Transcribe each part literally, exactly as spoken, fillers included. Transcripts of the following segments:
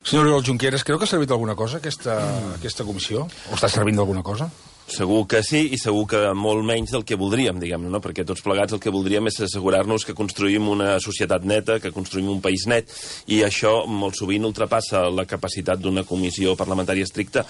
Senyor Oriol Junqueras, creu que ha servit alguna cosa aquesta, mm. aquesta comissió? O està servint d'alguna cosa? Segur que sí, i segur que molt menys del que voldríem, diguem-ne, no? Perquè tots plegats el que voldríem és assegurar-nos que construïm una societat neta, que construïm un país net, i això molt sovint ultrapassa la capacitat d'una comissió parlamentària estricta,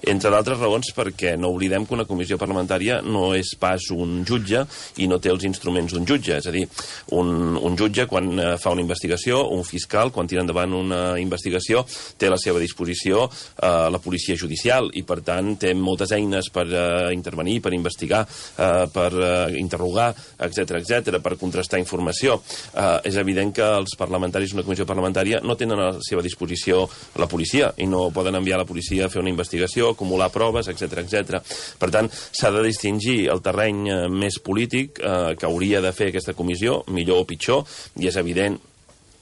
entre d'altres raons perquè no oblidem que una comissió parlamentària no és pas un jutge i no té els instruments d'un jutge. És a dir, un, un jutge, quan fa una investigació, un fiscal, quan tira endavant una investigació, té a la seva disposició eh, la policia judicial, i per tant té moltes eines per intervenir, per investigar, eh, per eh, interrogar, etcètera, etcètera, per contrastar informació. Eh, és evident que els parlamentaris d'una comissió parlamentària no tenen a la seva disposició la policia i no poden enviar la policia a fer una investigació, acumular proves, etcètera, etcètera. Per tant, s'ha de distingir el terreny eh, més polític eh, que hauria de fer aquesta comissió, millor o pitjor, i és evident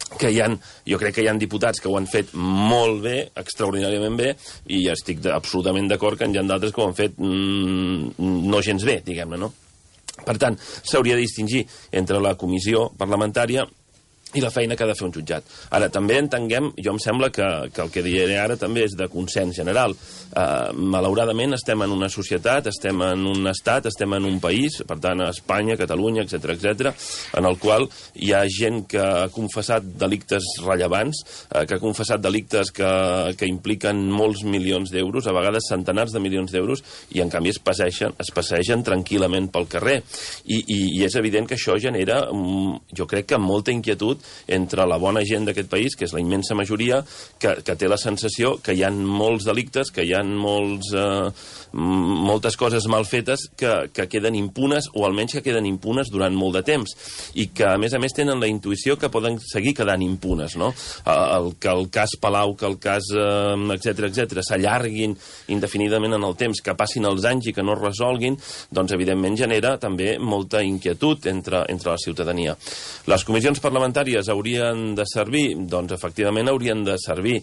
que hi ha, jo crec que hi ha diputats que ho han fet molt bé, extraordinàriament bé, i estic de, absolutament d'acord que hi ha d'altres que ho han fet mm, no gens bé, diguem-ne, no? Per tant, s'hauria de distingir entre la comissió parlamentària i la feina que ha de fer un jutjat. Ara, també entenguem, jo em sembla que, que el que diré ara també és de consens general. Uh, malauradament estem en una societat, estem en un estat, estem en un país, per tant a Espanya, Catalunya, etcètera, etcètera, en el qual hi ha gent que ha confessat delictes rellevants, uh, que ha confessat delictes que, que impliquen molts milions d'euros, a vegades centenars de milions d'euros, i en canvi es passegen, es passegen tranquil·lament pel carrer. I, i, i és evident que això genera, um, jo crec que molta inquietud entre la bona gent d'aquest país, que és la immensa majoria, que, que té la sensació que hi ha molts delictes, que hi ha molts, eh, moltes coses mal fetes que, que queden impunes, o almenys que queden impunes durant molt de temps, i que a més a més tenen la intuïció que poden seguir quedant impunes, no? El, que el cas Palau, que el cas eh, etcètera, etcètera, s'allarguin indefinidament en el temps, que passin els anys i que no es resolguin, doncs evidentment genera també molta inquietud entre, entre la ciutadania. Les comissions parlamentàries haurien de servir? Doncs efectivament haurien de servir.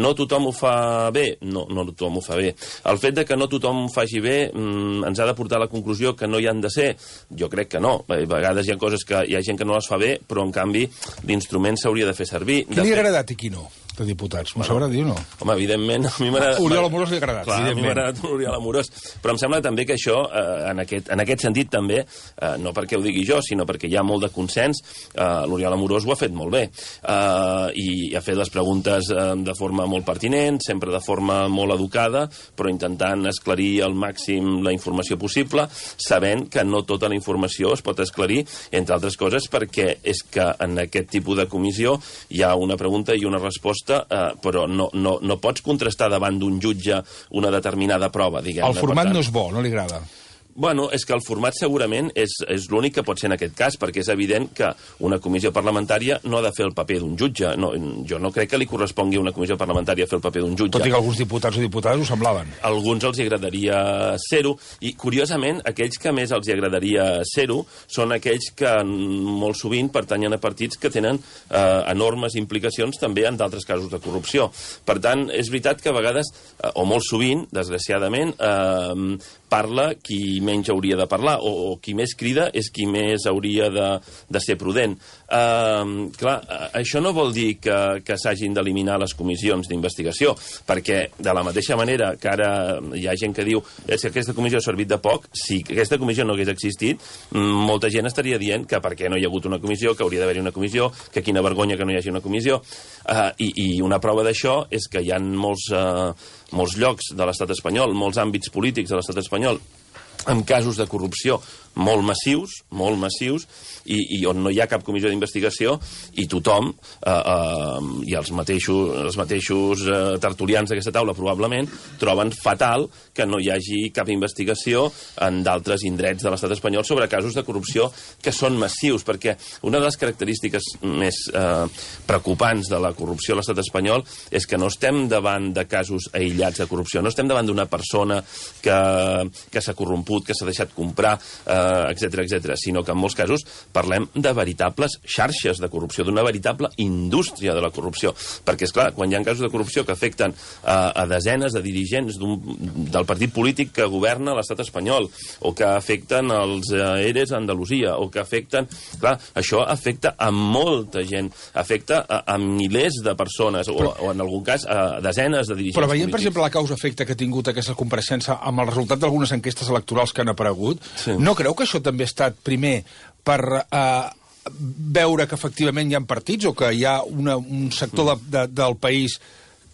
No tothom ho fa bé? No, no tothom ho fa bé. El fet de que no tothom ho faci bé mmm, ens ha de portar a la conclusió que no hi han de ser? Jo crec que no. A vegades hi ha coses que hi ha gent que no les fa bé, però en canvi l'instrument s'hauria de fer servir. Qui li ha agradat i qui no? De diputats. M'ho sabrà dir o no? Home, evidentment, a mi m'ha agradat... Oriol Amorós li ha agradat, clar, a mi m'ha agradat Oriol Amorós. Però em sembla també que això, eh, en, aquest, en aquest sentit també, eh, no perquè ho digui jo, sinó perquè hi ha molt de consens, eh, l'Oriol Amorós ho ha fet molt bé. Eh, I ha fet les preguntes eh, de forma molt pertinent, sempre de forma molt educada, però intentant esclarir al màxim la informació possible, sabent que no tota la informació es pot esclarir, entre altres coses, perquè és que en aquest tipus de comissió hi ha una pregunta i una resposta, Uh, però no, no, no pots contrastar davant d'un jutge una determinada prova, diguem-ne. El format no és bo, no li agrada? Bueno, és que el format segurament és, és l'únic que pot ser en aquest cas, perquè és evident que una comissió parlamentària no ha de fer el paper d'un jutge. No, jo no crec que li correspongui a una comissió parlamentària fer el paper d'un jutge. Tot i que alguns diputats o diputades ho semblaven. A alguns els agradaria ser-ho, i curiosament aquells que més els agradaria ser-ho són aquells que molt sovint pertanyen a partits que tenen eh, enormes implicacions també en d'altres casos de corrupció. Per tant, és veritat que a vegades, eh, o molt sovint, desgraciadament, eh, parla qui menys hauria de parlar, o, o qui més crida és qui més hauria de, de ser prudent. Uh, clar, això no vol dir que, que s'hagin d'eliminar les comissions d'investigació, perquè de la mateixa manera que ara hi ha gent que diu és que aquesta comissió ha servit de poc, si aquesta comissió no hagués existit, molta gent estaria dient que per què no hi ha hagut una comissió, que hauria d'haver-hi una comissió, que quina vergonya que no hi hagi una comissió. Uh, i, I una prova d'això és que hi ha molts, uh, molts llocs de l'estat espanyol, molts àmbits polítics de l'estat espanyol, amb casos de corrupció molt massius, molt massius, i, i on no hi ha cap comissió d'investigació, i tothom, eh, eh, i els mateixos, els mateixos eh, tertulians d'aquesta taula probablement, troben fatal que no hi hagi cap investigació en d'altres indrets de l'estat espanyol sobre casos de corrupció que són massius, perquè una de les característiques més eh, preocupants de la corrupció a l'estat espanyol és que no estem davant de casos aïllats de corrupció, no estem davant d'una persona que, que s'ha corromput, que s'ha deixat comprar, eh, etcètera, etcètera, sinó que en molts casos parlem de veritables xarxes de corrupció, d'una veritable indústria de la corrupció. Perquè, és clar, quan hi ha casos de corrupció que afecten a, a desenes de dirigents del partit polític que governa l'estat espanyol, o que afecten els eh, eres a Andalusia, o que afecten... Clar, això afecta a molta gent, afecta a, a milers de persones, o, o en algun cas a desenes de dirigents Però veient, polítics. per exemple, la causa-efecte que ha tingut aquesta compareixença amb el resultat d'algunes enquestes electorals que han aparegut, sí. No creu que això també ha estat, primer, per eh, veure que efectivament hi ha partits o que hi ha una, un sector de, de, del país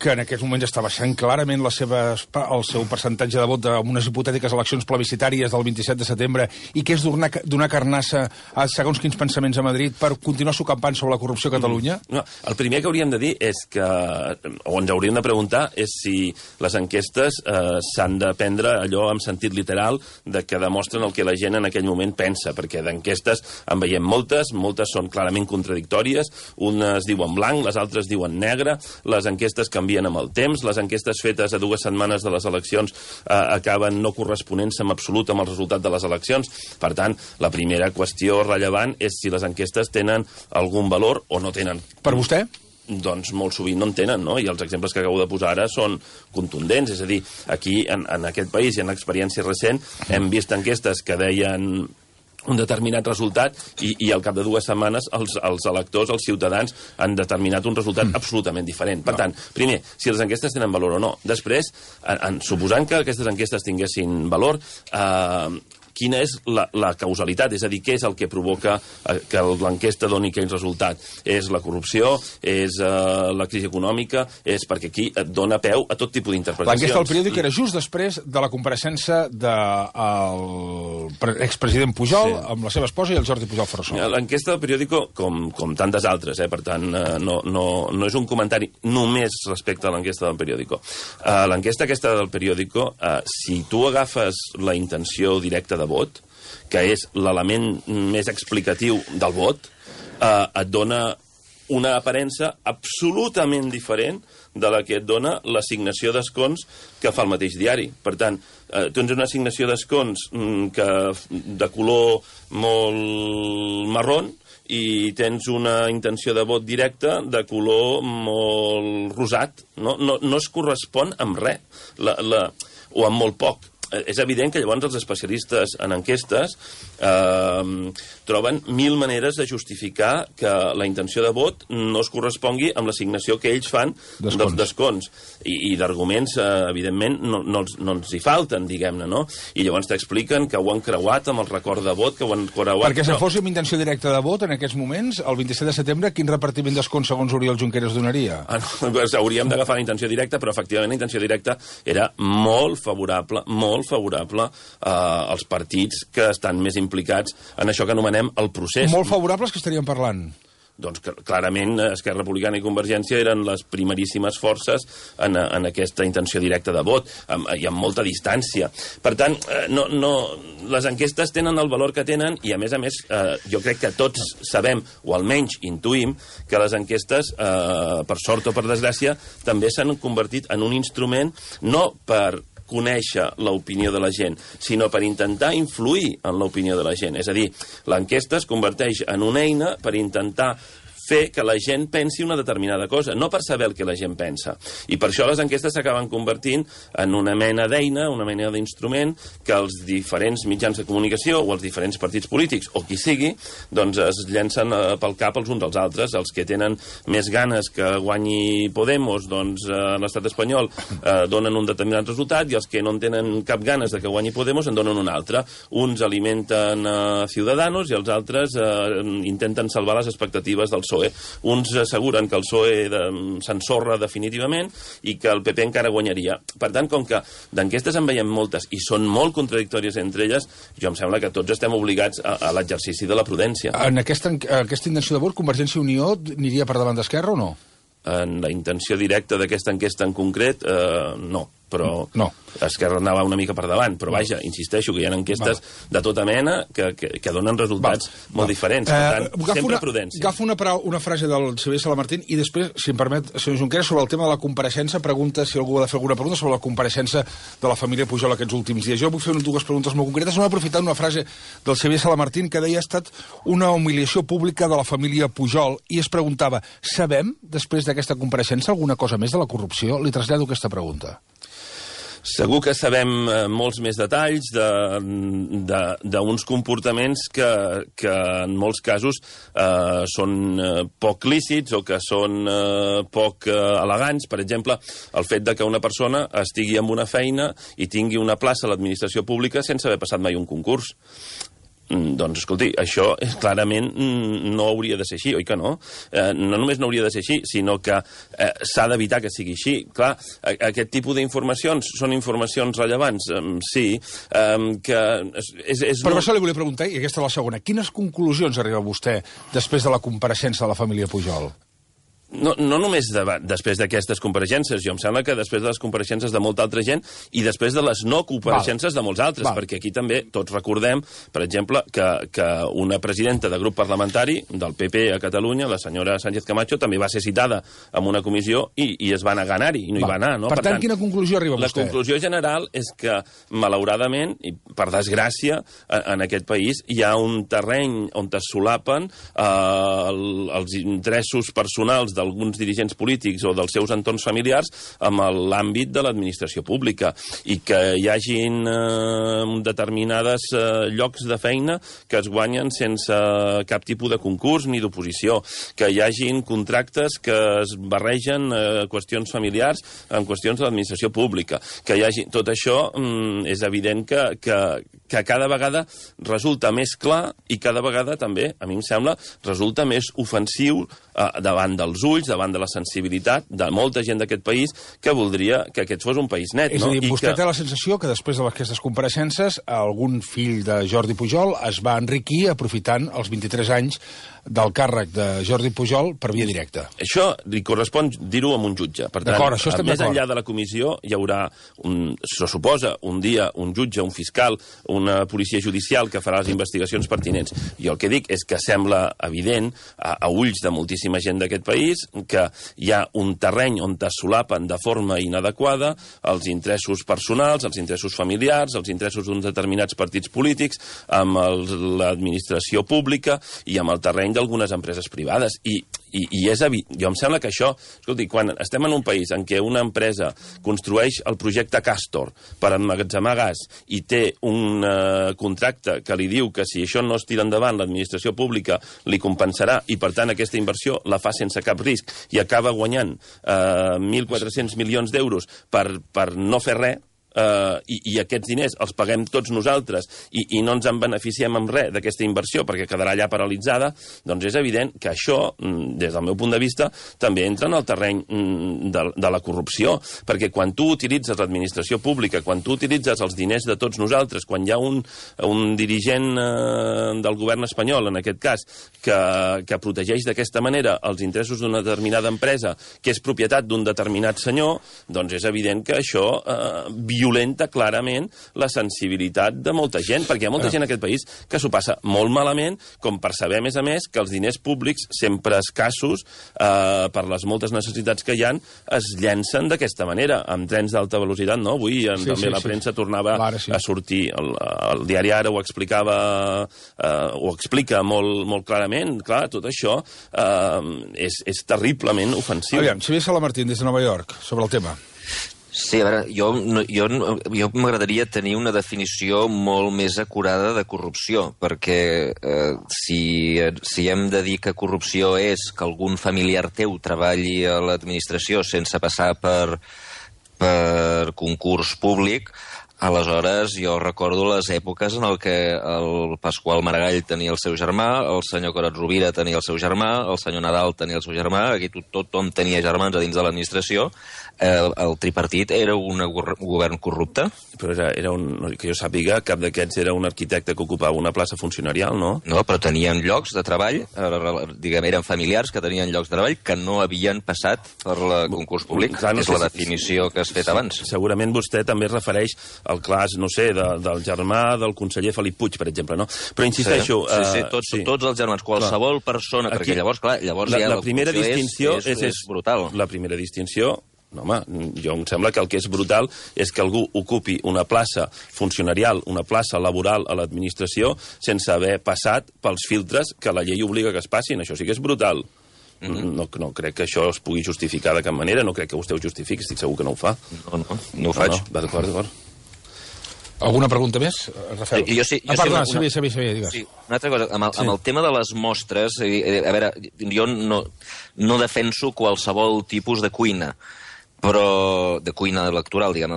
que en aquests moments està baixant clarament la seva, el seu percentatge de vot en unes hipotètiques eleccions plebiscitàries del vint-i-set de setembre i que és donar, donar carnassa a segons quins pensaments a Madrid per continuar sucampant sobre la corrupció a Catalunya? Mm. No, el primer que hauríem de dir és que, o ens hauríem de preguntar, és si les enquestes eh, s'han de prendre allò en sentit literal de que demostren el que la gent en aquell moment pensa, perquè d'enquestes en veiem moltes, moltes són clarament contradictòries, unes diuen blanc, les altres diuen negre, les enquestes canvien amb el temps, les enquestes fetes a dues setmanes de les eleccions eh, acaben no corresponent-se en absolut amb el resultat de les eleccions. Per tant, la primera qüestió rellevant és si les enquestes tenen algun valor o no tenen. Per vostè? Doncs molt sovint no en tenen, no? I els exemples que acabo de posar ara són contundents. És a dir, aquí, en, en aquest país, i en l'experiència recent, hem vist enquestes que deien un determinat resultat i, i al cap de dues setmanes els, els electors, els ciutadans, han determinat un resultat mm. absolutament diferent. Per no. tant, primer, si les enquestes tenen valor o no. Després, en, en, suposant que aquestes enquestes tinguessin valor, eh, quina és la, la causalitat, és a dir, què és el que provoca eh, que l'enquesta doni aquell resultat. És la corrupció, és eh, la crisi econòmica, és perquè aquí et dona peu a tot tipus d'interpretacions. L'enquesta del periòdic era just després de la compareixença del expresident Pujol sí. amb la seva esposa i el Jordi Pujol Ferrusola. L'enquesta del periòdic, com, com tantes altres, eh, per tant, eh, no, no, no és un comentari només respecte a l'enquesta del periòdic. Eh, l'enquesta aquesta del periòdic, eh, si tu agafes la intenció directa de vot, que és l'element més explicatiu del vot, eh, et dona una aparença absolutament diferent de la que et dona l'assignació d'escons que fa el mateix diari. Per tant, eh, tens una assignació d'escons mm, que de color molt marrón i tens una intenció de vot directe de color molt rosat. No, no, no es correspon amb res, la, la, o amb molt poc. És evident que llavors els especialistes en enquestes eh, troben mil maneres de justificar que la intenció de vot no es correspongui amb l'assignació que ells fan dels descons. I, i d'arguments, eh, evidentment, no, no, no ens hi falten, diguem-ne, no? I llavors t'expliquen que ho han creuat amb el record de vot, que ho han creuat... Perquè si fos amb intenció directa de vot, en aquests moments, el vint-i-set de setembre, quin repartiment d'escons segons Oriol Junqueras donaria? Ah, no, doncs hauríem d'agafar la intenció directa, però efectivament la intenció directa era molt favorable, molt favorable eh, als partits que estan més implicats en això que anomenem el procés. Molt favorables que estaríem parlant? Doncs que, clarament Esquerra Republicana i Convergència eren les primeríssimes forces en, en aquesta intenció directa de vot, amb, i amb molta distància. Per tant, eh, no, no, les enquestes tenen el valor que tenen i, a més a més, eh, jo crec que tots sabem, o almenys intuïm, que les enquestes, eh, per sort o per desgràcia, també s'han convertit en un instrument no per conèixer l'opinió de la gent, sinó per intentar influir en l'opinió de la gent. És a dir, l'enquesta es converteix en una eina per intentar fer que la gent pensi una determinada cosa, no per saber el que la gent pensa. I per això les enquestes s'acaben convertint en una mena d'eina, una mena d'instrument que els diferents mitjans de comunicació o els diferents partits polítics, o qui sigui, doncs es llencen pel cap els uns als altres. Els que tenen més ganes que guanyi Podemos, doncs a l'estat espanyol eh, donen un determinat resultat, i els que no en tenen cap ganes de que guanyi Podemos en donen un altre. Uns alimenten eh, Ciudadanos i els altres eh, intenten salvar les expectatives del P S O E. Uns asseguren que el P S O E de, s'ensorra definitivament i que el P P encara guanyaria. Per tant, com que d'enquestes en veiem moltes i són molt contradictòries entre elles, jo em sembla que tots estem obligats a, a l'exercici de la prudència. En aquesta, aquesta intenció de vot, Convergència i Unió aniria per davant d'Esquerra o no? En la intenció directa d'aquesta enquesta en concret, eh, no. però no. Esquerra anava una mica per davant, però vaja, insisteixo que hi ha enquestes vale. de tota mena que, que, que donen resultats vale. molt vale. diferents. Per tant, eh, sempre una, prudència. Agafo una, una frase del Xavier Salamartín i després, si em permet, senyor Junqueras, sobre el tema de la compareixença, pregunta si algú ha de fer alguna pregunta sobre la compareixença de la família Pujol aquests últims dies. Jo vull fer dues preguntes molt concretes. No he aprofitat una frase del Xavier Salamartín que deia ha estat una humiliació pública de la família Pujol i es preguntava, sabem, després d'aquesta compareixença, alguna cosa més de la corrupció? Li trasllado aquesta pregunta. Segur que sabem eh, molts més detalls d'uns comportaments que, que en molts casos eh, són eh, poc lícits o que són eh, poc eh, elegants. Per exemple, el fet de que una persona estigui en una feina i tingui una plaça a l'administració pública sense haver passat mai un concurs. Doncs, escolti, això clarament no hauria de ser així, oi que no? Eh, no només no hauria de ser així, sinó que eh, s'ha d'evitar que sigui així. Clar, aquest tipus d'informacions són informacions rellevants, eh, sí, eh, que és... és Però això li volia preguntar, i aquesta és la segona, quines conclusions arriba vostè després de la compareixença de la família Pujol? No, no només de, després d'aquestes compareixences, jo em sembla que després de les compareixences de molta altra gent i després de les no compareixences Val. de molts altres, Val. perquè aquí també tots recordem, per exemple, que, que una presidenta de grup parlamentari del P P a Catalunya, la senyora Sánchez Camacho, també va ser citada en una comissió i, i es va anar a anar-hi, i no Val. hi va anar. No? Per, per tant, tant, quina conclusió arriba la vostè? La conclusió general és que, malauradament, i per desgràcia, en aquest país hi ha un terreny on es solapen eh, els interessos personals de d'alguns dirigents polítics o dels seus entorns familiars amb l'àmbit de l'administració pública i que hi hagin eh, determinades eh, llocs de feina que es guanyen sense cap tipus de concurs ni d'oposició, que hi hagin contractes que es barregen eh, qüestions familiars en qüestions de l'administració pública, que hi hagi... Tot això mm, és evident que, que, que cada vegada resulta més clar i cada vegada també, a mi em sembla, resulta més ofensiu eh, davant dels ulls, davant de la sensibilitat de molta gent d'aquest país que voldria que aquest fos un país net. És no? a dir, I vostè que... té la sensació que després d'aquestes compareixences algun fill de Jordi Pujol es va enriquir aprofitant els vint-i-tres anys del càrrec de Jordi Pujol per via directa. Això li correspon dir-ho amb un jutge. Per tant, això estem més enllà de la comissió hi haurà, un, se suposa, un dia un jutge, un fiscal, una policia judicial que farà les investigacions pertinents. Jo el que dic és que sembla evident a, a ulls de moltíssima gent d'aquest país que hi ha un terreny on es solapen de forma inadequada els interessos personals, els interessos familiars, els interessos d'uns determinats partits polítics, amb l'administració pública i amb el terreny d'algunes empreses privades. I, i, i és evident. Jo em sembla que això... Escolti, quan estem en un país en què una empresa construeix el projecte Castor per emmagatzemar gas i té un uh, contracte que li diu que si això no es tira endavant l'administració pública li compensarà i per tant aquesta inversió la fa sense cap risc i acaba guanyant uh, mil quatre-cents milions d'euros per, per no fer res, Uh, i, i aquests diners els paguem tots nosaltres i, i no ens en beneficiem amb res d'aquesta inversió perquè quedarà allà paralitzada, doncs és evident que això, des del meu punt de vista, també entra en el terreny de, de la corrupció, perquè quan tu utilitzes l'administració pública, quan tu utilitzes els diners de tots nosaltres, quan hi ha un, un dirigent uh, del govern espanyol, en aquest cas, que, que protegeix d'aquesta manera els interessos d'una determinada empresa que és propietat d'un determinat senyor, doncs és evident que això uh, violenta clarament la sensibilitat de molta gent, perquè hi ha molta gent en aquest país que s'ho passa molt malament, com per saber, a més a més, que els diners públics, sempre escassos, eh, per les moltes necessitats que hi ha, es llencen d'aquesta manera, amb trens d'alta velocitat, no? Avui sí, també sí, la premsa sí. tornava sí. a sortir, el, el diari Ara ho explicava, eh, ho explica molt, molt clarament, clar, tot això eh, és, és terriblement ofensiu. Aviam, Xavier Salamartín, des de Nova York, sobre el tema. Sí, a veure, jo, jo, jo m'agradaria tenir una definició molt més acurada de corrupció, perquè eh, si, si hem de dir que corrupció és que algun familiar teu treballi a l'administració sense passar per, per concurs públic, Aleshores, jo recordo les èpoques en el que el Pasqual Maragall tenia el seu germà, el senyor Corat Rovira tenia el seu germà, el senyor Nadal tenia el seu germà, aquí tot, tothom tenia germans a dins de l'administració. El, el tripartit era un govern corrupte? Però era, era un, que jo sàpiga, cap d'aquests era un arquitecte que ocupava una plaça funcionarial, no? No, però tenien llocs de treball, diguem, eren familiars que tenien llocs de treball que no havien passat per el concurs públic. Clar, no és sé, la definició que has fet abans. Segurament vostè també es refereix al cas, no sé, de, del germà del conseller Felip Puig, per exemple, no? Però insisteixo... Sí, sí, sí, tots, sí. tots els germans, qualsevol clar. persona, aquí, perquè llavors, clar, llavors la, ja la, la primera distinció és, és, és, és brutal. La primera distinció... No, home, jo em sembla que el que és brutal és que algú ocupi una plaça funcionarial, una plaça laboral a l'administració sense haver passat pels filtres que la llei obliga que es passin. Això sí que és brutal. Mm-hmm. no, no crec que això es pugui justificar de cap manera, no crec que vostè ho justifiqui, estic segur que no ho fa. No, no, no ho faig. No, no, d'acord, d'acord. Alguna pregunta més, Rafael? Jo sí, jo ah, perdona, sí, una, sí, sí, sí, digues. Sí, una altra cosa, amb el, sí. amb el tema de les mostres, a veure, jo no, no defenso qualsevol tipus de cuina, però de cuina electoral, diguem,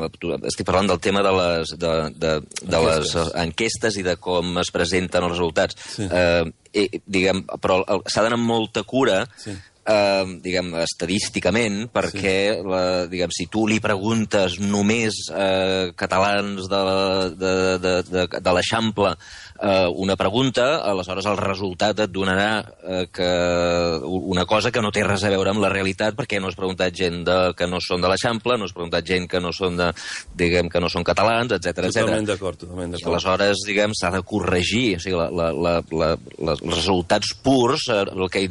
estic parlant del tema de les, de, de, de les enquestes i de com es presenten els resultats. Sí. Eh, diguem, però s'ha d'anar amb molta cura, sí. eh, diguem, estadísticament, perquè sí. la, diguem, si tu li preguntes només eh, catalans de, de, de, de, de l'Eixample eh, una pregunta, aleshores el resultat et donarà eh, que una cosa que no té res a veure amb la realitat, perquè no has preguntat gent de, que no són de l'Eixample, no has preguntat gent que no són de, diguem, que no són catalans, etcètera, etcètera. Totalment d'acord, totalment d'acord. I aleshores, diguem, s'ha de corregir, o sigui, la, la, la, la, la, els resultats purs el que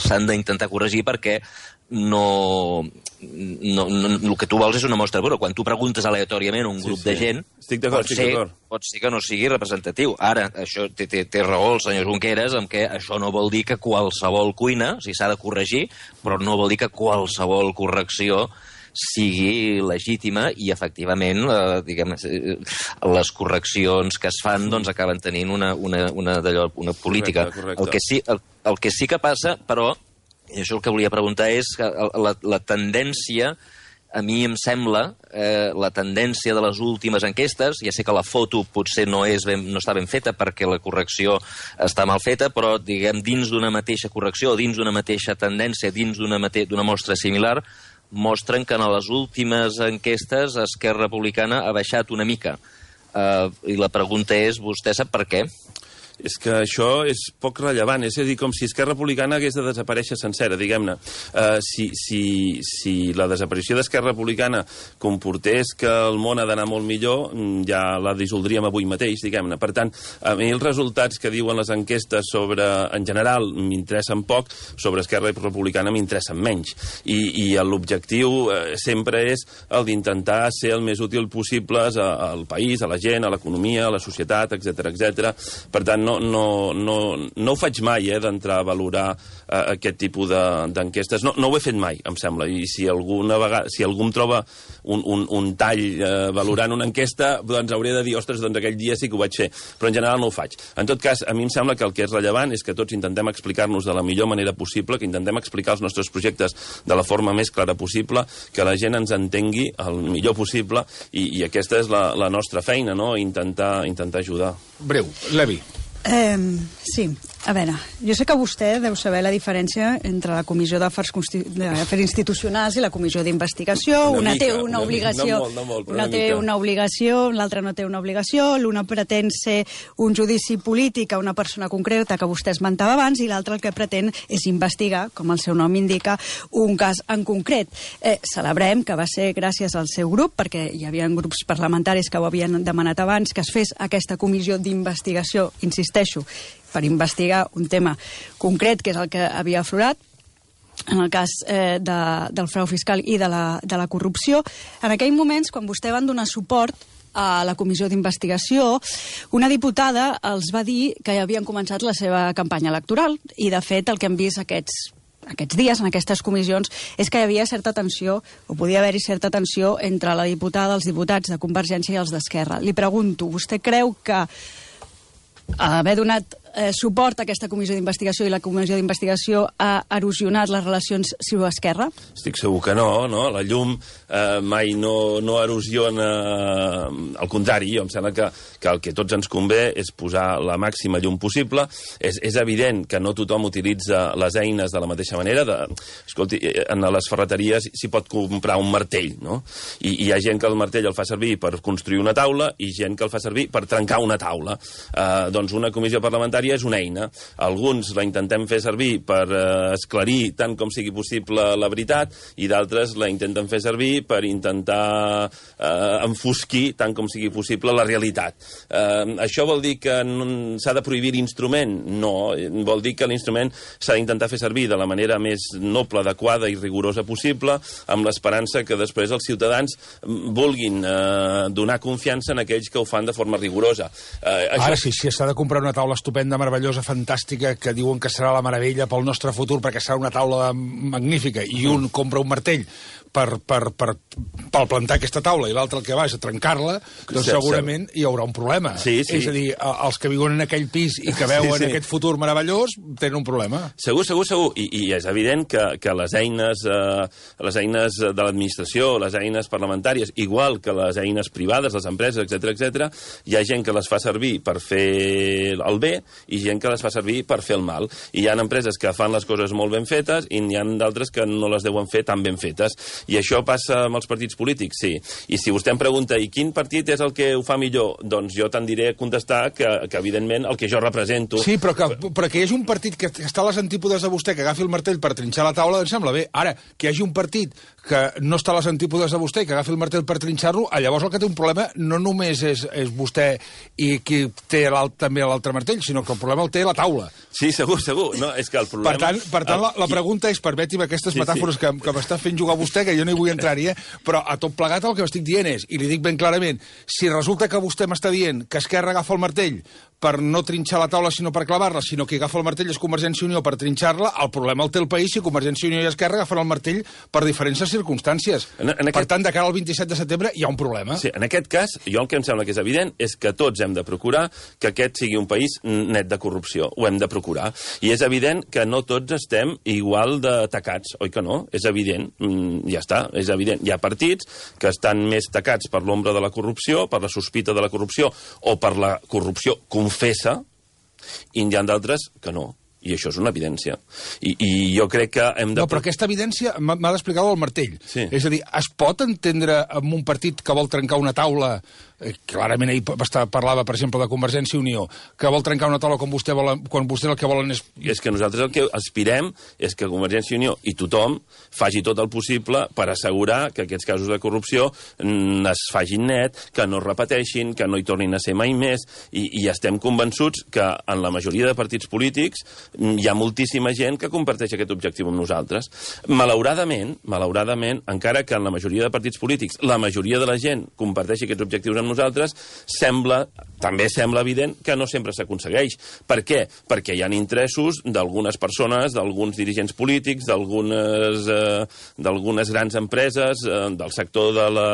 s'han d'intentar corregir perquè no, no, no... El que tu vols és una mostra pura. Quan tu preguntes aleatòriament a un grup sí, sí. de gent, estic d'acord, pot, estic ser, pot ser que no sigui representatiu. Ara, això té, té, té raó el senyor Junqueras amb què això no vol dir que qualsevol cuina, o sigui, s'ha de corregir, però no vol dir que qualsevol correcció sigui legítima i, efectivament, eh, diguem, les correccions que es fan doncs, acaben tenint una, una, una, una política. Correcte, correcte. El, que sí, el, el que sí que passa, però, i això el que volia preguntar és que la, la tendència, a mi em sembla, eh, la tendència de les últimes enquestes, ja sé que la foto potser no, és ben, no està ben feta perquè la correcció està mal feta, però diguem dins d'una mateixa correcció, dins d'una mateixa tendència, dins d'una mate d'una mostra similar, mostren que en les últimes enquestes Esquerra Republicana ha baixat una mica. Uh, I la pregunta és, vostè sap per què? És que això és poc rellevant, és a dir, com si Esquerra Republicana hagués de desaparèixer sencera, diguem-ne. Uh, si, si, si la desaparició d'Esquerra Republicana comportés que el món ha d'anar molt millor, ja la dissoldríem avui mateix, diguem-ne. Per tant, a mi els resultats que diuen les enquestes sobre, en general, m'interessen poc, sobre Esquerra Republicana m'interessen menys. I, i l'objectiu eh, sempre és el d'intentar ser el més útil possible al país, a la gent, a l'economia, a la societat, etcètera, etcètera. Per tant, No, no, no, no ho faig mai, eh, d'entrar a valorar eh, aquest tipus d'enquestes. No, no ho he fet mai, em sembla. I si, alguna vegada, si algú em troba un, un, un tall eh, valorant una enquesta, doncs hauré de dir, ostres, doncs aquell dia sí que ho vaig fer. Però en general no ho faig. En tot cas, a mi em sembla que el que és rellevant és que tots intentem explicar-nos de la millor manera possible, que intentem explicar els nostres projectes de la forma més clara possible, que la gent ens entengui el millor possible, i, i aquesta és la, la nostra feina, no? Intentar, intentar ajudar. Breu, Levi. Eh, sí, a veure, jo sé que vostè deu saber la diferència entre la Comissió d'Afers Institucionals i la Comissió d'Investigació. Una, una té una, una obligació, no molt, no molt, una, una té una obligació, l'altra no té una obligació, l'una pretén ser un judici polític a una persona concreta que vostè esmentava abans, i l'altra el que pretén és investigar, com el seu nom indica, un cas en concret. Eh, celebrem que va ser gràcies al seu grup, perquè hi havia grups parlamentaris que ho havien demanat abans, que es fes aquesta comissió d'investigació, insisteixo, per investigar un tema concret, que és el que havia aflorat, en el cas eh, de, del frau fiscal i de la, de la corrupció. En aquells moments, quan vostè van donar suport a la comissió d'investigació, una diputada els va dir que ja havien començat la seva campanya electoral, i de fet el que hem vist aquests aquests dies, en aquestes comissions, és que hi havia certa tensió, o podia haver-hi certa tensió entre la diputada, els diputats de Convergència i els d'Esquerra. Li pregunto, vostè creu que haver donat eh, suport a aquesta comissió d'investigació i la comissió d'investigació ha erosionat les relacions ciu-esquerra? Estic segur que no, no? La llum eh, mai no, no erosiona, al contrari, jo em sembla que, que el que tots ens convé és posar la màxima llum possible. És, és evident que no tothom utilitza les eines de la mateixa manera. De, escolti, en les ferreteries s'hi pot comprar un martell, no? I, i hi ha gent que el martell el fa servir per construir una taula i gent que el fa servir per trencar una taula. Eh, doncs una comissió parlamentària és una eina. Alguns la intentem fer servir per eh, esclarir tant com sigui possible la veritat i d'altres la intenten fer servir per intentar eh, enfosquir tant com sigui possible la realitat. Eh, això vol dir que s'ha de prohibir l'instrument? No. Vol dir que l'instrument s'ha d'intentar fer servir de la manera més noble, adequada i rigorosa possible, amb l'esperança que després els ciutadans vulguin eh, donar confiança en aquells que ho fan de forma rigorosa. Eh, això... Ara sí, si s'ha de comprar una taula estupenda, meravellosa, fantàstica, que diuen que serà la meravella pel nostre futur, perquè serà una taula magnífica, i un compra un martell per, per, per, per plantar aquesta taula i l'altre el que va és a trencar-la, doncs sí, segurament hi haurà un problema. Sí, sí. És a dir, els que viuen en aquell pis i que veuen sí, sí. aquest futur meravellós tenen un problema. Segur, segur, segur. I, i és evident que, que les eines eh, les eines de l'administració, les eines parlamentàries, igual que les eines privades, les empreses, etcètera, etcètera, hi ha gent que les fa servir per fer el bé i gent que les fa servir per fer el mal. I hi ha empreses que fan les coses molt ben fetes i n'hi ha d'altres que no les deuen fer tan ben fetes. I això passa amb els partits polítics, sí. I si vostè em pregunta, i quin partit és el que ho fa millor? Doncs jo tendiré a contestar que, que evidentment, el que jo represento... Sí, però que, però que hi hagi un partit que està a les antípodes de vostè, que agafi el martell per trinxar la taula, em sembla bé. Ara, que hi hagi un partit que no està a les antípodes de vostè i que agafi el martell per trinxar-lo, llavors el que té un problema no només és, és vostè i qui té també l'altre martell, sinó que el problema el té la taula. Sí, segur, segur. No, és que el problema... Per tant, per tant la, la pregunta és, permeti'm aquestes sí, metàfores sí. que, que m'està fent jugar vostè, que jo no hi vull entrar-hi, eh? Però a tot plegat el que m'estic dient és, i li dic ben clarament, si resulta que vostè m'està dient que Esquerra agafa el martell per no trinxar la taula sinó per clavar-la, sinó que agafa el martell és Convergència i Unió per trinxar-la, el problema el té el país si Convergència i Unió i Esquerra agafen el martell per diferents circumstàncies. En, en aquest... Per tant, de cara al vint-i-set de setembre hi ha un problema. Sí, en aquest cas, jo el que em sembla que és evident és que tots hem de procurar que aquest sigui un país net de corrupció. Ho hem de procurar. I és evident que no tots estem igual de tacats, oi que no? És evident. Mm, ja està, és evident. Hi ha partits que estan més tacats per l'ombra de la corrupció, per la sospita de la corrupció o per la corrupció confessa, i hi ha d'altres que no. I això és una evidència. I, i jo crec que hem de... No, però aquesta evidència m'ha d'explicar el martell. Sí. És a dir, es pot entendre amb un partit que vol trencar una taula, eh, clarament ahir parlava, per exemple, de Convergència i Unió, que vol trencar una taula quan vostè vol, quan vostè el que volen és... I és que nosaltres el que aspirem és que Convergència i Unió i tothom faci tot el possible per assegurar que aquests casos de corrupció mm, es facin net, que no es repeteixin, que no hi tornin a ser mai més, i, i estem convençuts que en la majoria de partits polítics hi ha moltíssima gent que comparteix aquest objectiu amb nosaltres. Malauradament, malauradament, encara que en la majoria de partits polítics la majoria de la gent comparteixi aquests objectius amb nosaltres, sembla, també sembla evident que no sempre s'aconsegueix. Per què? Perquè hi ha interessos d'algunes persones, d'alguns dirigents polítics, d'algunes eh, d'algunes grans empreses, eh, del sector de la,